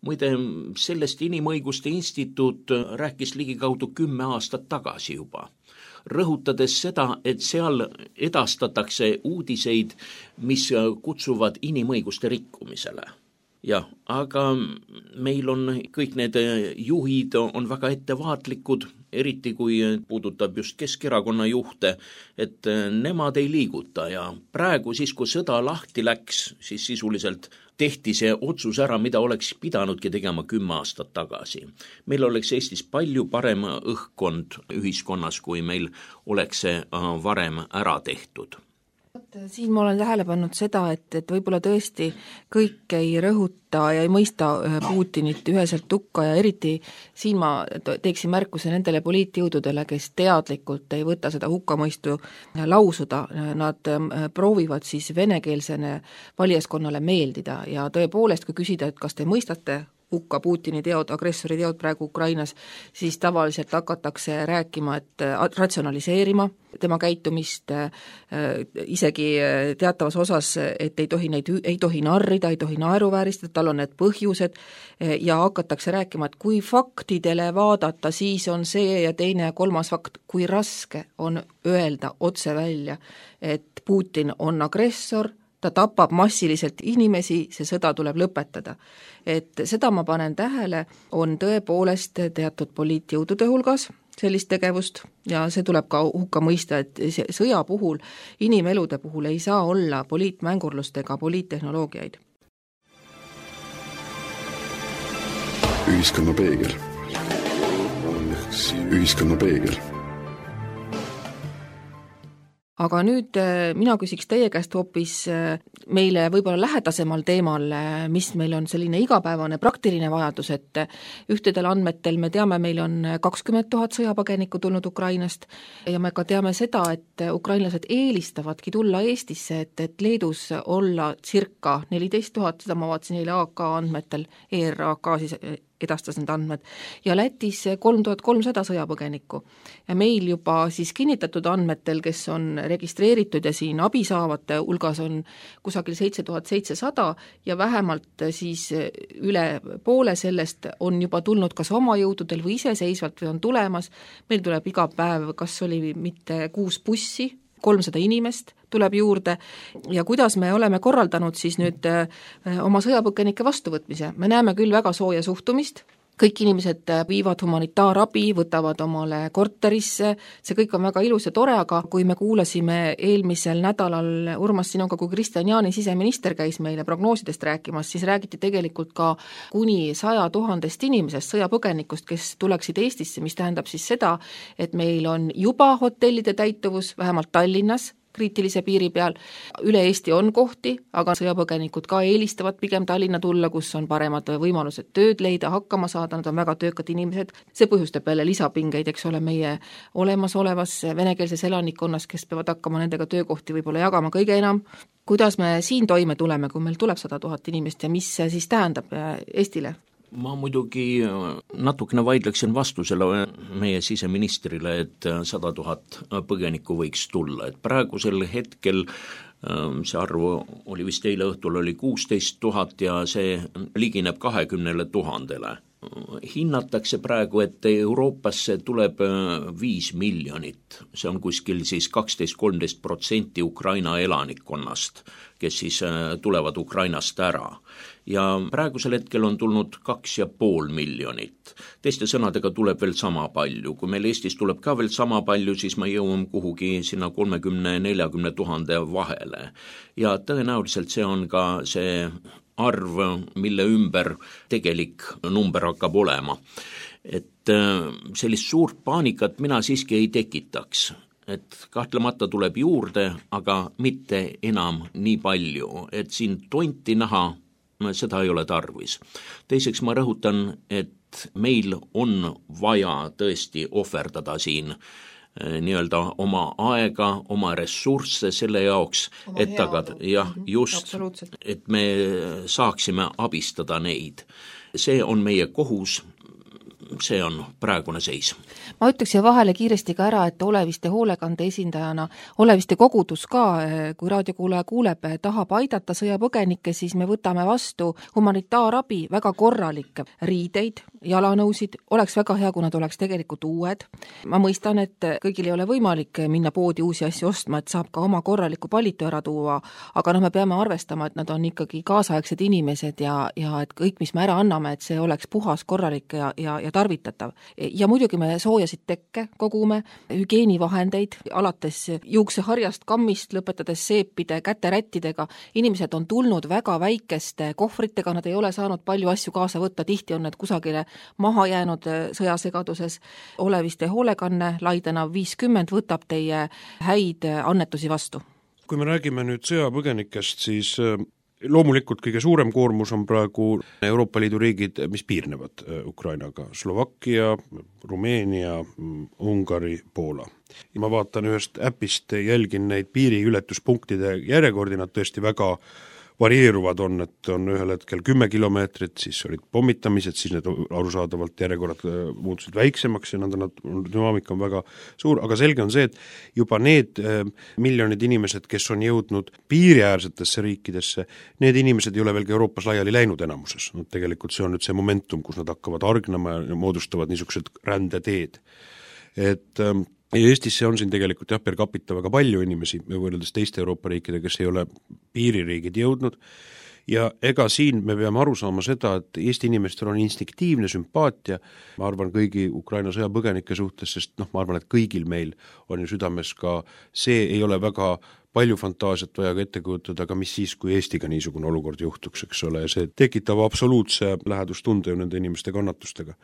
Muide, sellest Inimõiguste Instituut rääkis ligikaudu 10 aastat tagasi juba, rõhutades seda, et seal edastatakse uudiseid, mis kutsuvad inimõiguste rikkumisele. Jah, aga meil on kõik need juhid on väga ettevaatlikud, eriti kui puudutab just Keskerakonna juhte, et nemad ei liiguta ja praegu siis, kui sõda lahti läks, siis sisuliselt tehti see otsus ära, mida oleks pidanudki tegema 10 aastat tagasi. Meil oleks Eestis palju parem õhkkond ühiskonnas, kui meil oleks see varem ära tehtud. Siin ma olen tähele pannud seda, et võib-olla tõesti kõik ei rõhuta ja ei mõista Putinit üheselt hukka ja eriti siin ma teeksin märkuse nendele poliitjõududele, kes teadlikult ei võta seda hukkamõistu lausuda. Nad proovivad siis venekeelsene valijaskonnale meeldida ja tõepoolest, kui küsida, et kas te mõistate hukka Putini teod, agressori teod praegu Ukrainas, siis tavaliselt hakatakse rääkima, et ratsionaliseerima tema käitumist isegi teatavas osas, et ei tohi narrida, ei tohi naeruvääristada, tal on need põhjused ja hakatakse rääkima, et kui faktidele vaadata, siis on see ja teine ja kolmas fakt, kui raske on öelda otse välja, et Putin on agressor, ta tapab massiliselt inimesi, see sõda tuleb lõpetada. Et seda ma panen tähele, on tõepoolest teatud poliitjõudude hulgas sellist tegevust ja see tuleb ka hukka mõista, et sõja puhul, inimelude puhul ei saa olla poliitmängurlust ega poliittehnoloogiaid. Ühiskonna peegel. Ühiskonna peegel. Aga nüüd mina küsiks teie käest hoopis meile võib-olla lähedasemal teemal, mis meil on selline igapäevane praktiline vajadus, et ühtedel andmetel me teame, meil on 20 000 sõjapõgenikku tulnud Ukrainast ja me ka teame seda, et ukrainlased eelistavadki tulla Eestisse, et Leedus olla circa 14 000, seda ma vaatasin eile AK andmetel, ERAK siis edastas need andmed, ja Lätis 3300 sõjapõgenikku. Ja meil juba siis kinnitatud andmetel, kes on registreeritud ja siin abi saavate hulgas on kusagil 7700 ja vähemalt siis üle poole sellest on juba tulnud kas oma jõududel või iseseisvalt või on tulemas. Meil tuleb iga päev, kas oli mitte 6 bussi, 300 inimest tuleb juurde ja kuidas me oleme korraldanud siis nüüd oma sõjapõgenike vastuvõtmise. Me näeme küll väga sooja suhtumist, kõik inimesed viivad humanitaarabi, võtavad omale korterisse, see kõik on väga ilus ja tore, aga kui me kuulasime eelmisel nädalal Urmas sinuga, kui Kristjan Jaani siseminister käis meile prognoosidest rääkimas, siis räägiti tegelikult ka kuni 100 000 inimesest sõjapõgenikust, kes tuleksid Eestisse, mis tähendab siis seda, et meil on juba hotellide täituvus, vähemalt Tallinnas, kriitilise piiri peal. Üle Eesti on kohti, aga sõjapõgenikud ka eelistavad pigem Tallinna tulla, kus on paremad võimalused tööd leida, hakkama saada, nad on väga töökad inimesed. See põhjustab jälle lisapingeid, eks ole, meie olemasolevas venekeelses elanikkonnas, kes peavad hakkama nendega töökohti võib-olla jagama kõige enam. Kuidas me siin toime tuleme, kui meil tuleb 100 000 inimest ja mis see siis tähendab Eestile? Ma muidugi natukene vaidleksin vastusele meie siseministrile, et 100 000 põgenikku võiks tulla, et praegusel hetkel see arv oli vist eile õhtul oli 16 000 ja see ligineb 20 000. Hinnatakse praegu, et Euroopasse tuleb 5 miljonit, see on kuskil siis 12-13% Ukraina elanikkonnast, kes siis tulevad Ukrainast ära. Ja praegusel hetkel on tulnud 2,5 miljonit. Teiste sõnadega tuleb veel sama palju. Kui meil Eestis tuleb ka veel sama palju, siis me jõuame kuhugi sinna 30-40 000 vahele. Ja tõenäoliselt see on ka see arv, mille ümber tegelik number hakkab olema. Et sellist suurt paanikat mina siiski ei tekitaks. Et kahtlemata tuleb juurde, aga mitte enam nii palju, et siin tonti näha, seda ei ole tarvis. Teiseks ma rõhutan, et meil on vaja tõesti ohverdada siin nii-öelda oma aega, oma ressursse selle jaoks, et tagada, just, et me saaksime abistada neid. See on meie kohus, see on praegune seis. Ma ütleks ja vahele kiiresti ka ära, et Oleviste hoolekande esindajana, Oleviste kogudus ka, kui raadiokuulaja kuuleb, tahab aidata sõjapõgenikke, siis me võtame vastu humanitaarabi, väga korralikke riideid, jalanõusid, oleks väga hea, kui nad oleks tegelikult uued. Ma mõistan, et kõigil ei ole võimalik minna poodi uusi asju ostma, et saab ka oma korraliku palitu ära tuua, aga me peame arvestama, et nad on ikkagi kaasaegsed inimesed ja et kõik, mis me ära anname, et see oleks puhas, korralik ja tarvitatav. Ja muidugi me soojasid tekke kogume, hügieenivahendeid, alates juukseharjast, kammist, lõpetades seepide, käterättidega. Inimesed on tulnud väga väikeste kohvritega, nad ei ole saanud palju asju kaasa võtta, tihti on need kusagile maha jäänud sõjasegaduses. Oleviste hoolekanne, Laidena 50 võtab teie häid annetusi vastu. Kui me räägime nüüd sõjapõgenikest, siis loomulikult kõige suurem koormus on praegu Euroopa Liidu riigid, mis piirnevad Ukrainaga. Slovakkia, Rumeenia, Ungari, Poola. Ja ma vaatan ühest äpist, jälgin neid piiriületuspunktide järjekordi, nad tõesti väga varieeruvad on, et on ühel hetkel 10 kilomeetrit, siis olid pommitamised, siis need arusaadavalt järjekorrad muutusid väiksemaks ja dünaamika on väga suur, aga selge on see, et juba need miljonid inimesed, kes on jõudnud piiriäärsetesse riikidesse, need inimesed ei ole veel ka Euroopas laiali läinud enamuses. No, tegelikult see on nüüd see momentum, kus nad hakkavad argnama ja moodustavad niisugused rändeteed. Et Eestisse on siin tegelikult per capita väga palju inimesi võrreldes teiste Euroopa riikide, kes ei ole piiririigid jõudnud ja ega siin me peame aru saama seda, et Eesti inimestel on instinktiivne sümpaatia, ma arvan kõigi Ukraina sõjapõgenike suhtes, sest ma arvan, et kõigil meil on ju südames ka see ei ole väga palju fantaasiat vaja ka ette kujutada, aga mis siis, kui Eestiga niisugune olukord juhtuks, eks ole, ja see tekitab absoluutse lähedustunde ju nende inimeste kannatustega.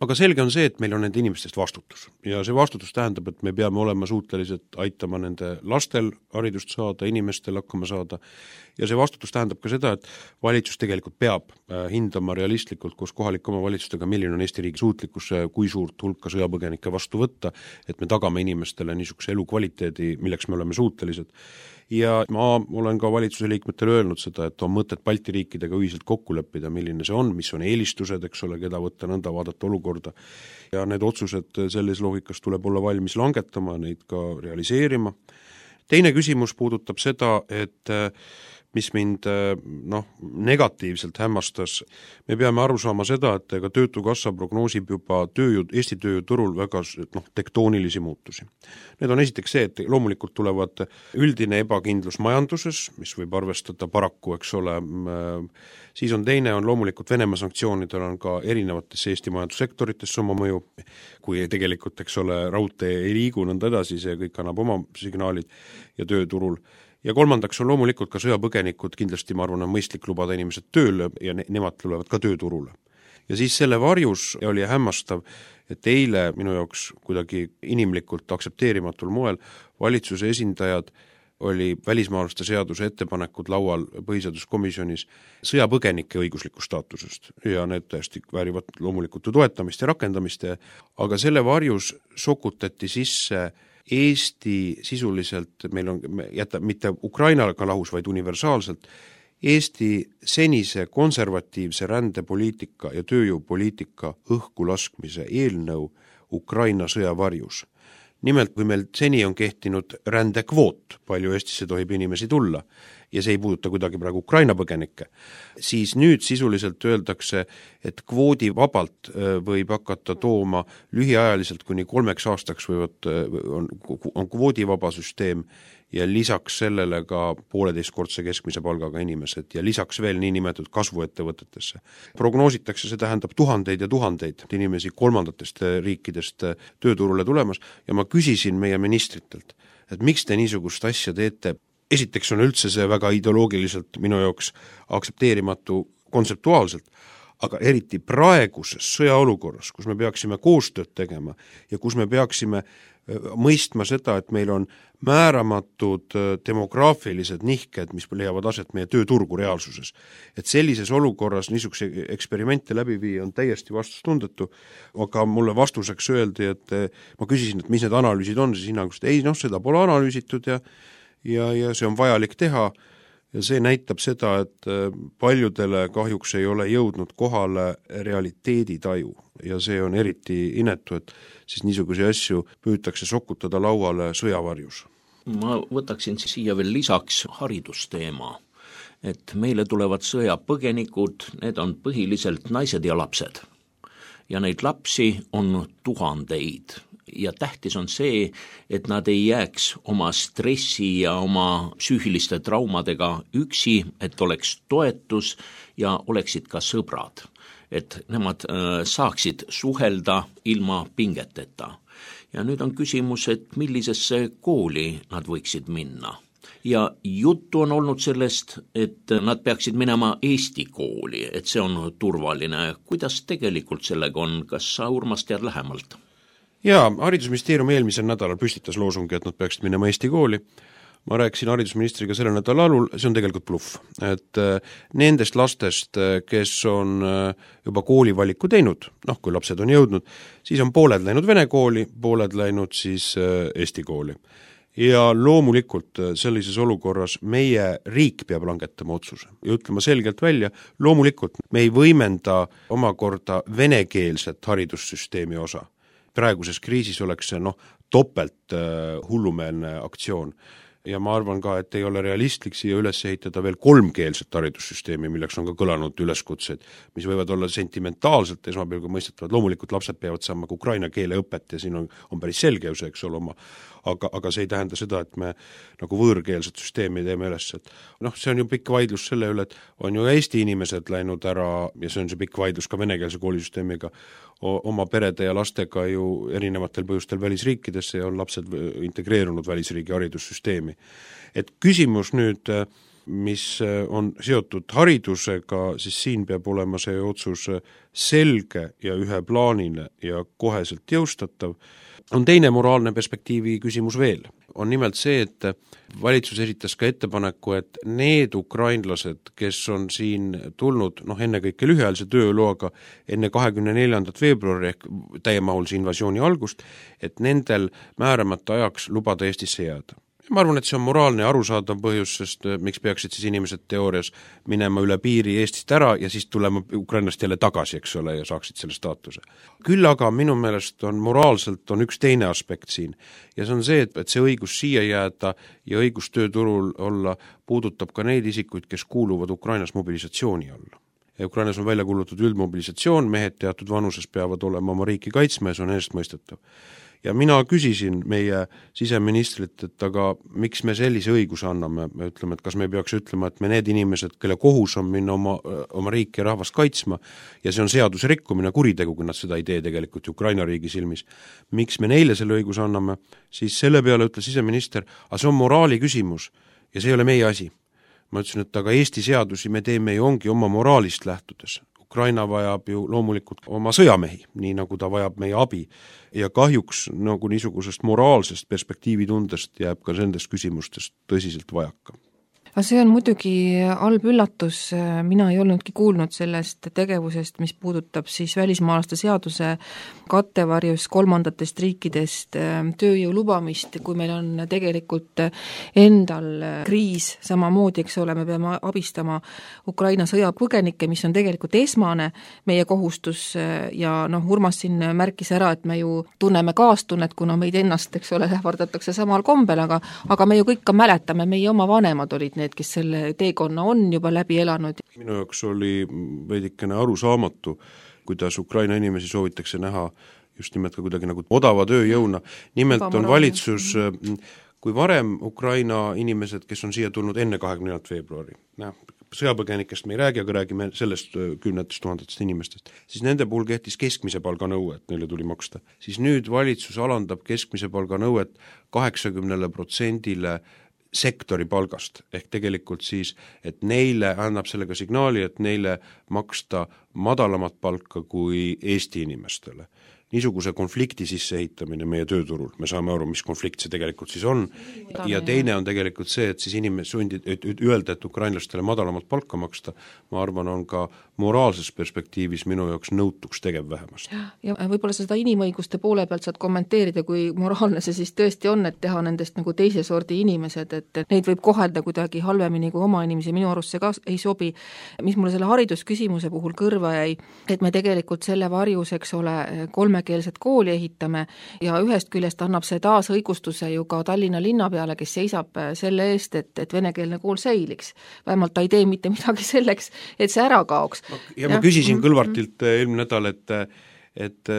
Aga selge on see, et meil on nende inimestest vastutus ja see vastutus tähendab, et me peame olema suutelised aitama nende lastel haridust saada, inimestel hakkama saada ja see vastutus tähendab ka seda, et valitsus tegelikult peab hindama realistlikult koos kohalike omavalitsustega, milline on Eesti riigi suutlikkus, kui suurt hulka sõjapõgenikke vastu võtta, et me tagame inimestele niisuguse elukvaliteedi, milleks me oleme suutelised. Ja ma olen ka valitsuse liikmetele öelnud seda, et on mõtet Balti riikidega ühiselt kokku leppida, milline see on, mis on eelistused, eks ole, keda võtta nõnda vaadata olukorda. Ja need otsused selles loogikas tuleb olla valmis langetama, neid ka realiseerima. Teine küsimus puudutab seda, et mis mind negatiivselt hämmastas. Me peame aru saama seda, et ka Töötukassa prognoosib juba Eesti tööjõuturul väga tektoonilisi muutusi. Need on esiteks see, et loomulikult tulevad üldine ebakindlus majanduses, mis võib arvestada paraku, eks ole, siis on teine, on loomulikult Venemaa sanktsioonidel on ka erinevates Eesti majandussektoritesse oma mõju, kui tegelikult, eks ole, raudtee ei liigu nõnda edasi, see kõik annab oma signaalid ja tööturul. Ja kolmandaks on loomulikult ka sõjapõgenikud, kindlasti ma arvan, on mõistlik lubada inimesed tööle ja nemad tulevad ka tööturule. Ja siis selle varjus oli hämmastav, et eile minu jaoks kuidagi inimlikult aktsepteerimatul moel valitsuse esindajad oli välismaalaste seaduse ettepanekud laual põhiseaduskomisjonis sõjapõgenike õiguslikust staatusest ja need täiesti väärivad loomulikult toetamist ja rakendamist, aga selle varjus sokutati sisse Eesti sisuliselt, meil on, jätab mitte Ukrainaga lahus, vaid universaalselt, Eesti senise konservatiivse rändepoliitika ja tööjõupoliitika õhku laskmise eelnõu Ukraina sõjavarjus. Nimelt, kui meil seni on kehtinud rändekvoot, palju Eestisse tohib inimesi tulla, ja see ei puuduta kuidagi praegu Ukraina põgenikke, siis nüüd sisuliselt öeldakse, et kvoodi vabalt võib hakata tooma lühiajaliselt kuni 3 aastaks on kvoodivaba süsteem ja lisaks sellele ka 1,5-kordse keskmise palgaga inimesed ja lisaks veel niinimetatud kasvuettevõtetesse. Prognoositakse, see tähendab tuhandeid ja tuhandeid inimesi kolmandatest riikidest tööturule tulemas ja ma küsisin meie ministritelt, et miks te niisugust asja teete. Esiteks on üldse see väga ideoloogiliselt minu jaoks aktsepteerimatu kontseptuaalselt, aga eriti praeguses sõjaolukorras, kus me peaksime koostööd tegema ja kus me peaksime mõistma seda, et meil on määramatud demograafilised nihked, mis leiavad aset meie tööturgu reaalsuses. Et sellises olukorras niisuguse eksperimente läbi viia on täiesti vastustundetu, aga mulle vastuseks öeldi, et ma küsisin, et mis need analüüsid on, siis hinnangust, ei, seda pole analüüsitud ja see on vajalik teha ja see näitab seda, et paljudele kahjuks ei ole jõudnud kohale realiteeditaju ja see on eriti inetu, et siis niisuguse asju püütakse sokutada lauale sõjavarjus. Ma võtaksin siia veel lisaks haridusteema, et meile tulevad sõjapõgenikud, need on põhiliselt naised ja lapsed ja neid lapsi on tuhandeid. Ja tähtis on see, et nad ei jääks oma stressi ja oma psüühiliste traumadega üksi, et oleks toetus ja oleksid ka sõbrad, et nemad saaksid suhelda ilma pingeteta. Ja nüüd on küsimus, et millisesse kooli nad võiksid minna. Ja juttu on olnud sellest, et nad peaksid minema Eesti kooli, et see on turvaline. Kuidas tegelikult sellega on? Kas sa, Urmas, tead lähemalt? Jaa, haridusministeerium eelmisel nädalal püstitas loosungi, et nad peaksid minema Eesti kooli. Ma rääkisin haridusministriga selle nädala alul, see on tegelikult bluff. Et nendest lastest, kes on juba koolivaliku teinud, kui lapsed on jõudnud, siis on pooled läinud vene kooli, pooled läinud siis Eesti kooli. Ja loomulikult sellises olukorras meie riik peab langetama otsuse ja ütlema selgelt välja, loomulikult me ei võimenda omakorda venekeelset haridussüsteemi osa. Praeguses kriisis oleks see topelt hullumeelne aktsioon ja ma arvan ka, et ei ole realistlik siia üles ehitada veel 3-keelset haridussüsteemi, milleks on ka kõlanud üleskutsed, mis võivad olla sentimentaalselt esmapilgul mõistetavad. Loomulikult lapsed peavad saama ukraina keele õpet ja siin on päris selge ju see, eks ole, aga see ei tähenda seda, et me nagu võõrkeelset süsteemi teeme üles. See on ju pikk vaidlus selle üle, et on ju Eesti inimesed läinud ära ja see on see pikk vaidlus ka venekeelse koolisüsteemiga oma perede ja lastega ju erinevatel põhjustel välisriikidesse ja on lapsed integreerunud välisriigi haridussüsteemi. Et küsimus nüüd, mis on seotud haridusega, siis siin peab olema see otsus selge ja üheplaanine ja koheselt jõustatav. On teine moraalne perspektiivi küsimus veel. On nimelt see, et valitsus esitas ka ettepaneku, et need ukrainlased, kes on siin tulnud ennekõike lühiajalise tööloaga enne 24. veebruari ehk täiemahulise invasiooni algust, et nendel määramata ajaks lubada Eestisse jääda. Ma arvan, et see on moraalne ja arusaadav põhjus, sest miks peaksid siis inimesed teoorias minema üle piiri Eestist ära ja siis tulema Ukrainast jälle tagasi, eks ole, ja saaksid selle staatuse. Küll aga minu meelest moraalselt on üks teine aspekt siin ja see on see, et see õigus siia jääda ja õigus tööturul olla puudutab ka neid isikuid, kes kuuluvad Ukrainas mobilisatsiooni alla. Ja Ukrainas on välja kuulutatud üldmobilisatsioon, mehed teatud vanuses peavad olema oma riiki kaitsma ja see on eestmõistetav. Ja mina küsisin meie siseministrit, et aga miks me sellise õiguse anname, me ütleme, et kas me peaks ütlema, et me need inimesed, kelle kohus on minna oma riiki ja rahvast kaitsma ja see on seaduse rikkumine, kuritegu, kui nad seda ei tee tegelikult Ukraina riigi silmis, miks me neile selle õiguse anname, siis selle peale ütles siseminister, aga see on moraali küsimus ja see ei ole meie asi. Ma ütlesin, et aga Eesti seadusi me teeme ju ongi oma moraalist lähtudes. Ukraina vajab ju loomulikult oma sõjamehi, nii nagu ta vajab meie abi. Ja kahjuks nagu niisugusest moraalsest perspektiivitundest jääb ka nendest küsimustest tõsiselt vajaka. See on muidugi halb üllatus, mina ei olnudki kuulnud sellest tegevusest, mis puudutab siis välismaalaste seaduse kattevarjus kolmandatest riikidest tööjõu lubamist, kui meil on tegelikult endal kriis samamoodi, eks ole, me peame abistama Ukraina sõjapõgenikke, mis on tegelikult esmane meie kohustus ja Urmas siin märkis ära, et me ju tunneme kaastunnet, kuna meid ennast, eks ole, ähvardatakse samal kombel, aga me ju kõik ka mäletame, meie oma vanemad olid need, kes selle teekonna on juba läbi elanud. Minu jaoks oli veidikene arusaamatu, kuidas Ukraina inimesi soovitakse näha just nimelt ka kuidagi nagu odava tööjõuna. Nimelt on valitsus, kui varem Ukraina inimesed, kes on siia tulnud enne 24. veebruari, sõjapõgenikest me ei räägi, aga räägime sellest 10 000 inimestest, siis nende puhul kehtis keskmise palga nõue, et neile tuli maksta. Siis nüüd valitsus alandab keskmise palga nõuet 80% sektori palgast, ehk tegelikult siis, et neile annab sellega signaali, et neile maksta madalamat palka kui Eesti inimestele. Niisuguse konflikti sisseehitamine meie tööturul, me saame aru, mis konflikt see tegelikult siis on, ja teine on tegelikult see, et siis öelda, et ukrainlastele madalamat palka maksta, ma arvan, on ka moraalses perspektiivis minu jaoks nõutuks tegev vähemast. Ja võib-olla seda inimõiguste poole pealt saad kommenteerida, kui moraalne see siis tõesti on, et teha nendest nagu teise sordi inimesed, et neid võib kohelda kuidagi halvemini kui oma inimesi, minu arust see ka ei sobi. Mis mulle selle haridusküsimuse puhul kõrva jäi, et me tegelikult selle varjus, eks ole, kolmekeelset kooli ehitame ja ühest küljest annab see taas õigustuse ju ka Tallinna linna peale, kes seisab selle eest, et venekeelne kool säiliks. Vähemalt ta ei tee mitte midagi selleks, et see ära kaoks. Ja ma küsisin Kõlvartilt eelmine nädal, et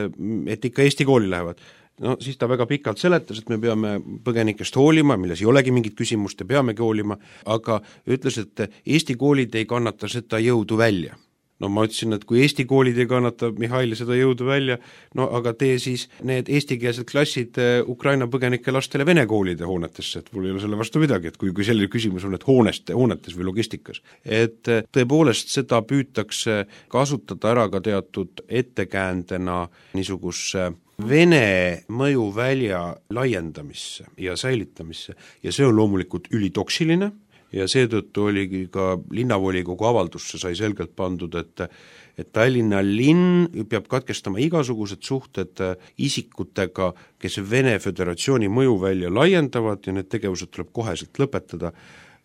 ikka Eesti kooli lähevad. No siis ta väga pikalt seletas, et me peame põgenikest hoolima, milles ei olegi mingit küsimust ja peamegi hoolima, aga ütles, et Eesti koolid ei kannata seda jõudu välja. No ma ütlesin, et kui Eesti koolid ei kannata, Mihhail, seda jõudu välja, no aga tee siis need eestikeelsed klassid Ukraina põgenike lastele vene koolide hoonetesse, et mul ei ole selle vastu midagi, et kui selline küsimus on, et hoonetes või logistikas. Et tõepoolest seda püütakse kasutada ära ka teatud ettekäändena niisugusse Vene mõjuvälja laiendamisse ja säilitamisse ja see on loomulikult ülitoksiline, ja seetõttu oligi ka linnavolikogu avaldusse sai selgelt pandud, et Tallinna linn peab katkestama igasugused suhted isikutega, kes Vene Föderatsiooni mõjuvälja laiendavad ja need tegevused tuleb koheselt lõpetada.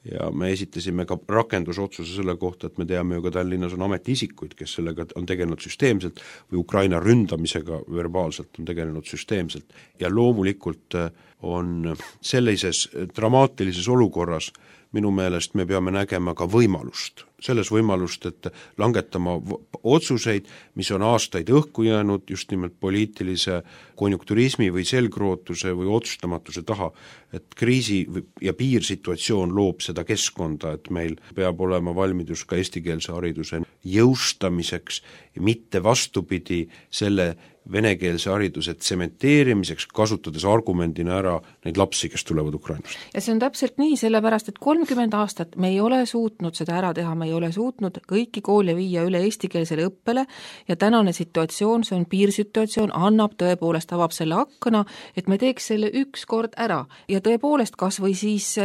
Ja me esitasime ka rakendusotsuse selle kohta, et me teame ju ka Tallinnas on ametiisikuid, kes sellega on tegelenud süsteemselt või Ukraina ründamisega verbaalselt on tegelenud süsteemselt. Ja loomulikult on sellises dramaatilises olukorras minu meelest me peame nägema ka võimalust, selles võimalust, et langetama otsuseid, mis on aastaid õhku jäänud just nimelt poliitilise konjunkturismi või selgrootuse või otsustamatuse taha, et kriisi ja piirsituatsioon loob seda keskkonda, et meil peab olema valmidus ka eestikeelse hariduse jõustamiseks, mitte vastupidi selle venekeelse hariduse tsementeerimiseks, kasutades argumendina ära neid lapsi, kes tulevad Ukrainast. Ja see on täpselt nii, sellepärast, et 30 aastat me ei ole suutnud seda ära teha, me ei ole suutnud kõiki koole viia üle eestikeelsele õppele ja tänane situatsioon, see on piirsituatsioon, annab tõepoolest, avab selle akkana, et me teeks selle üks kord ära ja tõepoolest kas või siis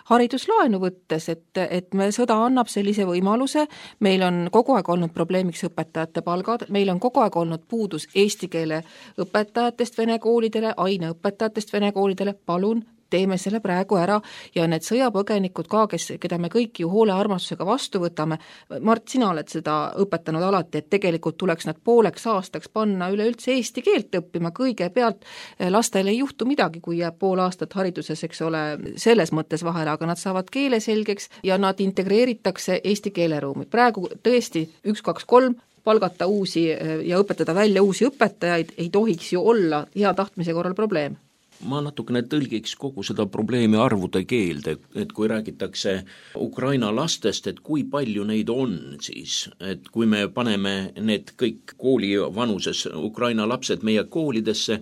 hariduslaenu võttes, et me sõda annab sellise võimaluse, meil on kogu aeg olnud probleemiks õpetajate palgad, meil on kogu aeg olnud puudus eesti keele õpetajatest vene koolidele, aineõpetajatest vene koolidele, palun teeme selle praegu ära ja need sõjapõgenikud ka, keda me kõik ju hoole armastusega vastu võtame, Mart, sina oled seda õpetanud alati, et tegelikult tuleks nad pooleks aastaks panna üleüldse eesti keelt õppima, kõigepealt lastele ei juhtu midagi, kui jääb pool aastat hariduses, eks ole, selles mõttes vahele, aga nad saavad keele selgeks ja nad integreeritakse eesti keeleruumi. Praegu tõesti 1, 2, 3 palgata uusi ja õpetada välja uusi õpetajaid ei tohiks ju olla hea tahtmise korral probleem. Ma natukene tõlgiks kogu seda probleemi arvude keelde, et kui räägitakse Ukraina lastest, et kui palju neid on siis, et kui me paneme need kõik kooli vanuses Ukraina lapsed meie koolidesse,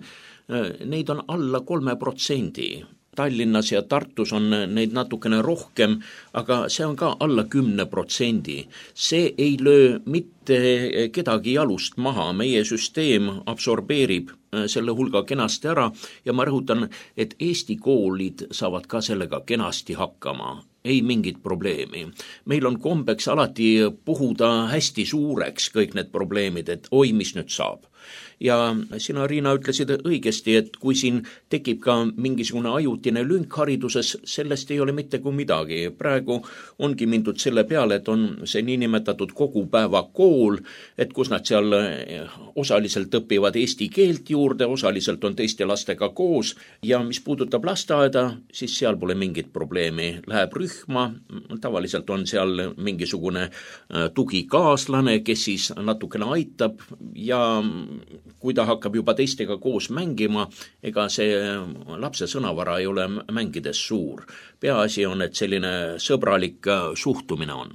neid on alla 3%. Tallinnas ja Tartus on neid natukene rohkem, aga see on ka alla 10%. See ei löö mitte kedagi jalust maha, meie süsteem absorbeerib selle hulga kenasti ära ja ma rõhutan, et Eesti koolid saavad ka sellega kenasti hakkama. Ei mingit probleemi. Meil on kombeks alati puhuda hästi suureks kõik need probleemid, et oi, mis nüüd saab. Ja sina, Riina, ütlesid õigesti, et kui siin tekib ka mingisugune ajutine lünk hariduses, sellest ei ole mitte kui midagi. Praegu ongi mindud selle peale, et on see niinimetatud kogupäeva kool, et kus nad seal osaliselt õpivad eesti keelt juurde, osaliselt on teiste lastega koos ja mis puudutab lasteaeda, siis seal pole mingit probleemi. Läheb rühma, tavaliselt on seal mingisugune tugikaaslane, kes siis natukene aitab ja kui ta hakkab juba teistega koos mängima, ega see lapse sõnavara ei ole mängides suur. Peaasi on, et selline sõbralik suhtumine on.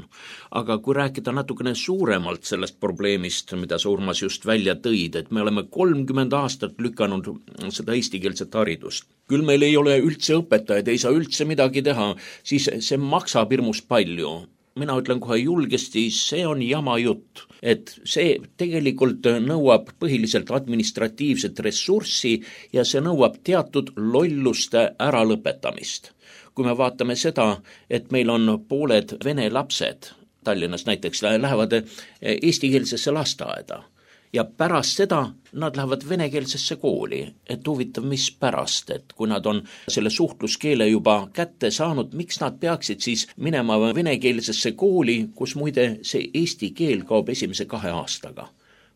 Aga kui rääkida natukene suuremalt sellest probleemist, mida sa, Urmas, just välja tõid, et me oleme 30 aastat lükanud seda eestikeelset haridust. Küll meil ei ole üldse õpetajaid, ei saa üldse midagi teha, siis see maksab hirmus palju. Mina ütlen kohe julgesti, see on jama jutt, et see tegelikult nõuab põhiliselt administratiivset ressurssi ja see nõuab teatud lolluste äralõpetamist. Kui me vaatame seda, et meil on pooled vene lapsed, Tallinnas näiteks, lähevad eestikeelsesse lasteaeda ja pärast seda nad lähevad venekeelsesse kooli, et huvitav, mis pärast, et kui nad on selle suhtluskeele juba kätte saanud, miks nad peaksid siis minema venekeelsesse kooli, kus muide see eesti keel kaob esimese 2 aastaga.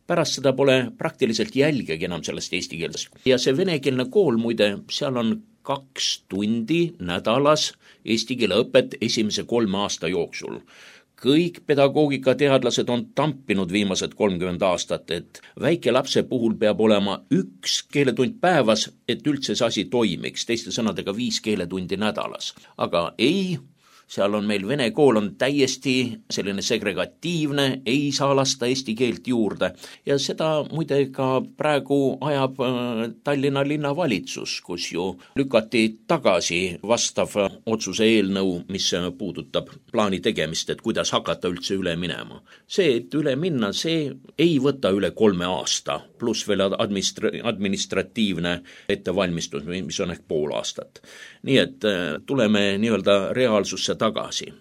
Pärast seda pole praktiliselt jälgegi enam sellest eesti keelest. Ja see venekeelne kool muide, seal on 2 tundi nädalas eesti keele õpet esimese 3 aasta jooksul. Kõik pedagoogikateadlased on tampinud viimased 30 aastat, et väike lapse puhul peab olema 1 keeletund päevas, et üldse see asi toimiks, teiste sõnadega 5 keeletundi nädalas. Aga ei, seal on meil vene kool on täiesti selline segregatiivne, ei saa lasta eesti keelt juurde ja seda muide ka praegu ajab Tallinna linnavalitsus, kus ju lükati tagasi vastav otsuse eelnõu, mis puudutab plaani tegemist, et kuidas hakata üldse üle minema. See, et üle minna, see ei võta üle 3 aasta, pluss veel administratiivne ettevalmistus, mis on ehk pool aastat. Nii et tuleme nii-öelda reaalsusse tagasi.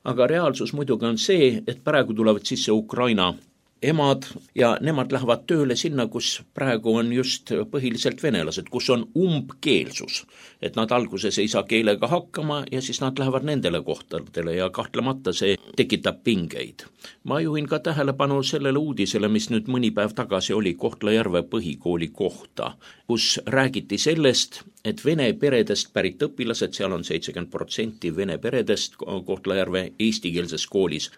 Aga reaalsus muidugi on see, et praegu tulevad sisse Ukraina emad ja nemad lähevad tööle sinna, kus praegu on just põhiliselt venelased, kus on umbkeelsus, et nad alguses ei saa keelega hakkama ja siis nad lähevad nendele kohtadele ja kahtlemata see tekitab pingeid. Ma juhin ka tähelepanu sellele uudisele, mis nüüd mõni päev tagasi oli Kohtla-Järve põhikooli kohta, kus räägiti sellest, et vene peredest pärit õpilased, seal on 70% vene peredest Kohtla-Järve eestikeelses koolis.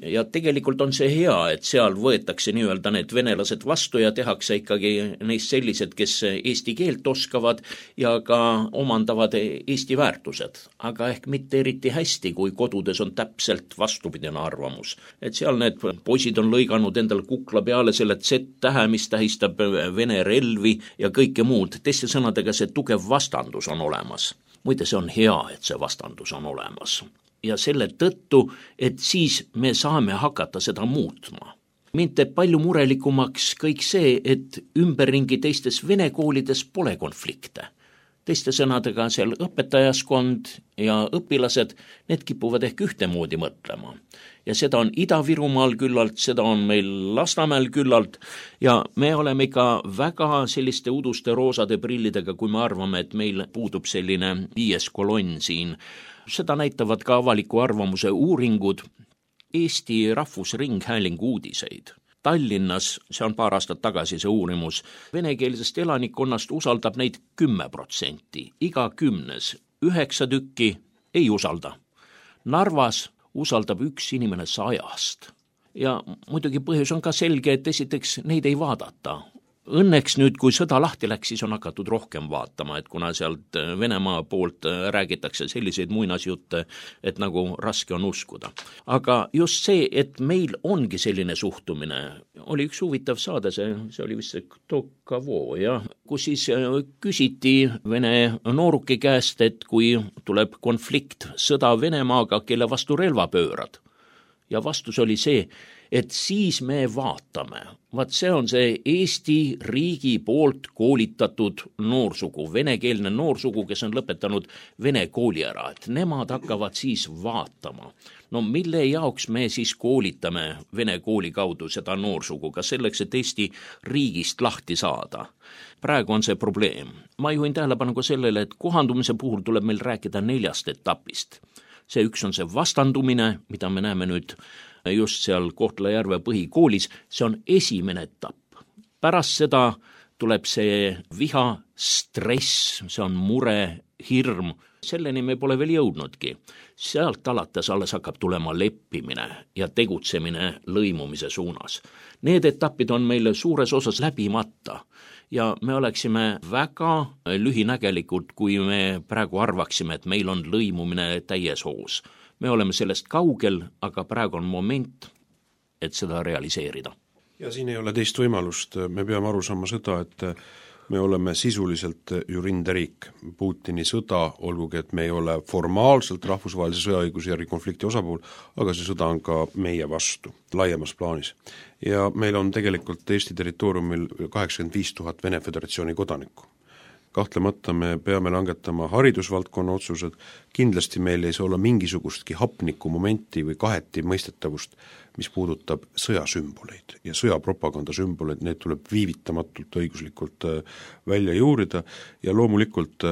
Ja tegelikult on see hea, et seal võetakse nii-öelda need venelased vastu ja tehakse ikkagi neist sellised, kes eesti keelt oskavad ja ka omandavad eesti väärtused. Aga ehk mitte eriti hästi, kui kodudes on täpselt vastupidine arvamus. Et seal need poisid on lõiganud endal kukla peale selle Z-tähe, mis tähistab vene relvi ja kõike muud. Teiste sõnadega see tugev vastandus on olemas. Muide, see on hea, et see vastandus on olemas. Ja selle tõttu, et siis me saame hakata seda muutma. Mind teeb palju murelikumaks kõik see, et ümberringi teistes vene koolides pole konflikte. Teiste sõnadega seal õpetajaskond ja õpilased, need kipuvad ehk ühtemoodi mõtlema. Ja seda on Ida-Virumaal küllalt, seda on meil Lasnamäel küllalt ja me oleme ikka väga selliste uduste roosade prillidega, kui me arvame, et meil puudub selline 5. kolonn siin. Seda näitavad ka avaliku arvamuse uuringud, Eesti Rahvusringhäälingu uudiseid. Tallinnas, see on 2 aastat tagasi see uurimus, venekeelsest elanikkonnast usaldab neid 10%, iga 10, 9 tükki ei usalda. Narvas usaldab 1 inimene 100. Ja muidugi põhjus on ka selge, et esiteks neid ei vaadata. Õnneks nüüd, kui sõda lahti läks, siis on hakatud rohkem vaatama, et kuna sealt Venemaa poolt räägitakse selliseid muinasjutte, et nagu raske on uskuda. Aga just see, et meil ongi selline suhtumine, oli üks huvitav saade, see oli vist Tokavo, jah, kus siis küsiti Vene nooruki käest, et kui tuleb konflikt, sõda Venemaaga, kelle vastu relva pöörad. Ja vastus oli see, et siis me vaatame. Vaat see on see Eesti riigi poolt koolitatud noorsugu, venekeelne noorsugu, kes on lõpetanud vene kooli ära, et nemad hakkavad siis vaatama. No mille jaoks me siis koolitame vene kooli kaudu seda noorsugu, ka selleks, et Eesti riigist lahti saada? Praegu on see probleem. Ma juhin tähelepanu ka sellele, et kohandumise puhul tuleb meil rääkida 4 etapist. See üks on see vastandumine, mida me näeme nüüd just seal Kohtla-Järve põhikoolis, see on esimene etapp. Pärast seda tuleb see viha, stress, see on mure, hirm, selleni me pole veel jõudnudki. Sealt alates alles hakkab tulema leppimine ja tegutsemine lõimumise suunas. Need etapid on meil suures osas läbimata ja me oleksime väga lühinägelikud, kui me praegu arvaksime, et meil on lõimumine täies hoos. Me oleme sellest kaugel, aga praegu on moment, et seda realiseerida. Ja siin ei ole teist võimalust, me peame aru saama seda, et me oleme sisuliselt ju rinderiik. Putini sõda, olgugi et me ei ole formaalselt rahvusvahelise sõjaõiguse järgi konflikti osapool, aga see sõda on ka meie vastu laiemas plaanis. Ja meil on tegelikult Eesti territooriumil 85 000 Vene Föderatsiooni kodanikku. Kahtlemata me peame langetama haridusvaldkonna otsused, kindlasti meil ei saa olla mingisugustki hapniku momenti või kaheti mõistetavust, mis puudutab sõjasümboleid ja sõjapropaganda sümboleid, need tuleb viivitamatult õiguslikult välja juurida ja loomulikult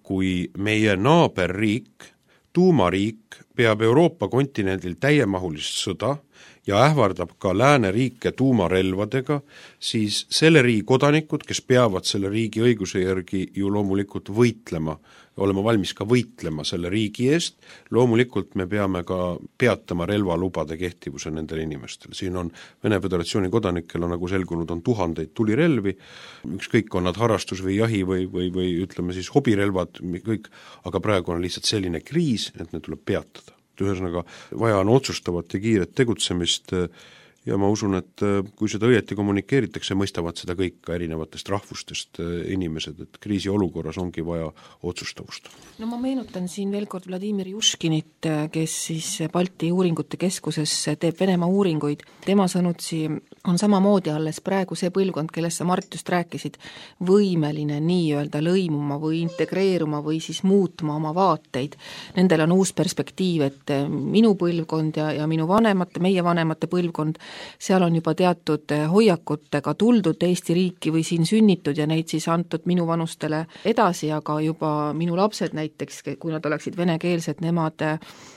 kui meie naaberriik, tuumariik peab Euroopa kontinendil täiemahulist sõda ja ähvardab ka lääneriike tuumarelvadega, siis selle riigi kodanikud, kes peavad selle riigi õiguse järgi ju loomulikult võitlema, olema valmis ka võitlema selle riigi eest, loomulikult me peame ka peatama relvalubade kehtivuse nendel inimestel. Siin on Vene Föderatsiooni kodanikel, nagu selgunud, on tuhandeid tulirelvi, ükskõik on nad harrastus või jahi või ütleme siis hobirelvad, kõik, aga praegu on lihtsalt selline kriis, et need tuleb peatada. Ühesõnaga, vaja on otsustavat ja kiiret tegutsemist ja ma usun, et kui seda õieti kommunikeeritakse, mõistavad seda kõik ka erinevatest rahvustest inimesed, et kriisi olukorras ongi vaja otsustavust. No ma meenutan siin veel kord Vladimir Juškinit, kes siis Balti uuringute keskuses teeb Venemaa uuringuid. Tema sõnutsi on samamoodi alles praegu see põlvkond, kellest sa Mart just rääkisid, võimeline nii-öelda lõimuma või integreeruma või siis muutma oma vaateid. Nendel on uus perspektiiv, et minu põlvkond ja minu vanemate, meie vanemate põlvkond, seal on juba teatud hoiakutega tuldud Eesti riiki või siin sünnitud ja neid siis antud minu vanustele edasi, aga juba minu lapsed näiteks, kui nad oleksid venekeelsed, nemad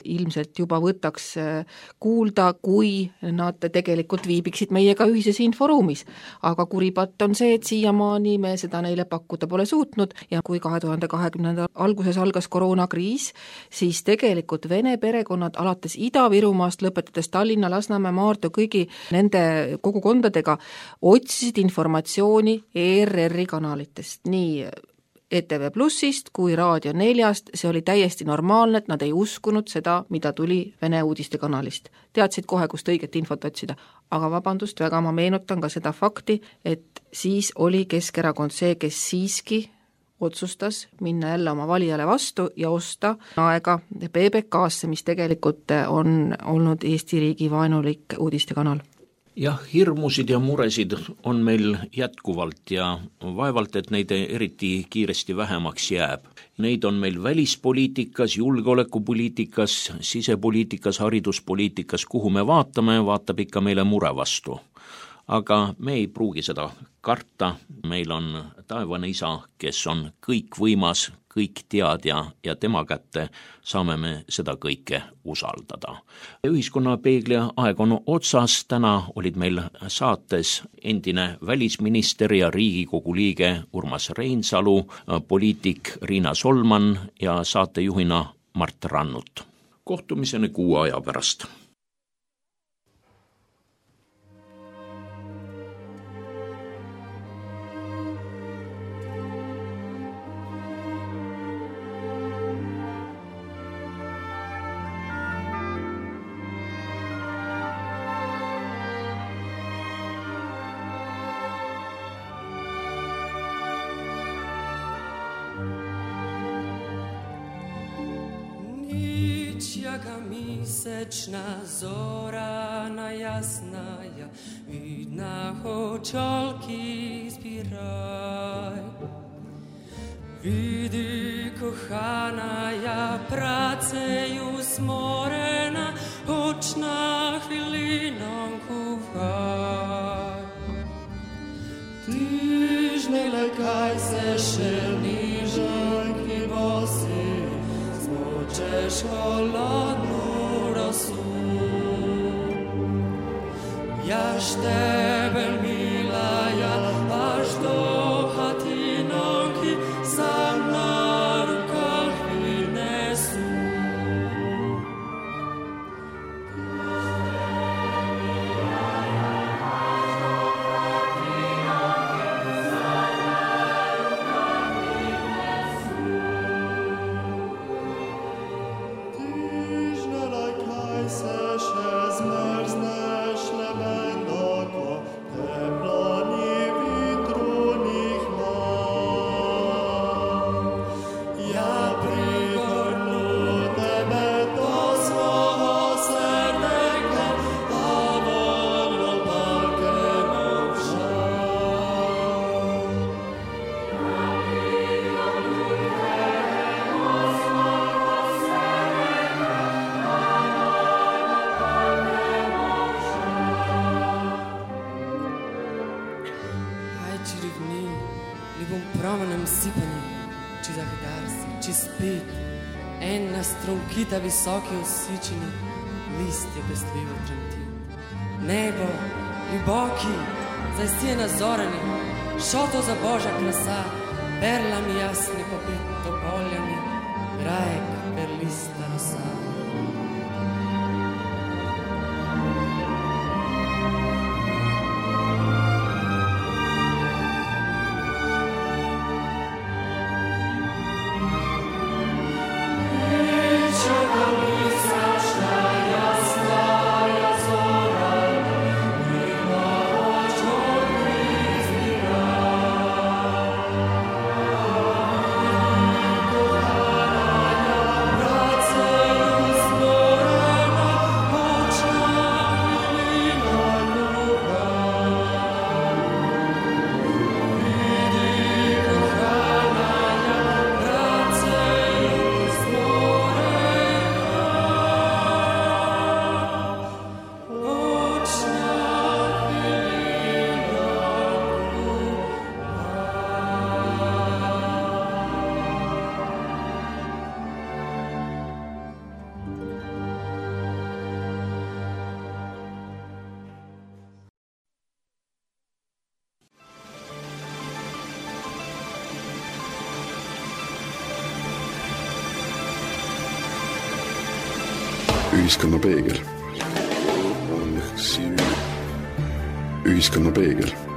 ilmselt juba võtaks kuulda, kui nad tegelikult viibiksid meiega ühises inforuumis. Aga kuripatt on see, et siiamaani me seda neile pakkuda pole suutnud ja kui 2020. alguses algas koroonakriis, siis tegelikult vene perekonnad alates Ida-Virumaast, lõpetades Tallinna, Lasnamäe, Maardu, kõigi nende kogukondadega otsisid informatsiooni ERR-i kanalitest, nii ETV Plussist kui Raadio 4-st, see oli täiesti normaalne, et nad ei uskunud seda, mida tuli Vene uudiste kanalist. Teadsid kohe, kust õiget infot otsida. Aga vabandust, väga ma meenutan ka seda fakti, et siis oli Keskerakond see, kes siiski otsustas minna jälle oma valijale vastu ja osta aega PBK-sse, mis tegelikult on olnud Eesti riigi vaenulik uudistekanal. Jah, hirmusid ja muresid on meil jätkuvalt ja vaevalt, et neid eriti kiiresti vähemaks jääb. Neid on meil välispoliitikas, julgeolekupoliitikas, sisepoliitikas, hariduspoliitikas, kuhu me vaatame, vaatab ikka meile mure vastu. Aga me ei pruugi seda karta, meil on taevane isa, kes on kõik võimas, kõik teadja ja tema kätte saame me seda kõike usaldada. Ühiskonnapeegli aeg on otsas, täna olid meil saates endine välisminister ja Riigikogu liige Urmas Reinsalu, poliitik Riina Solman ja saatejuhina Mart Rannut. Kohtumiseni 6 aja pärast. čaka misečna zorana jasnaja, vidna hočolki zbiraj. Vidi, kohana ja praceju smorena, očna hvilinom kuvaj. Tižne lekaj se šel nižanki bosi, smočeš holodnu rosu. Jaš tebe milaja, až do hatinonki, sam na rukah vynesu. Kita visoki osičeni, list je pestljivo tremtil. Nebo, ljuboki, zajstije nazorani, šoto za božja krasa, perlami jasni popit topoljami, rajek perlista rosa. Ühiskonnapeegel. Ühiskonnapeegel.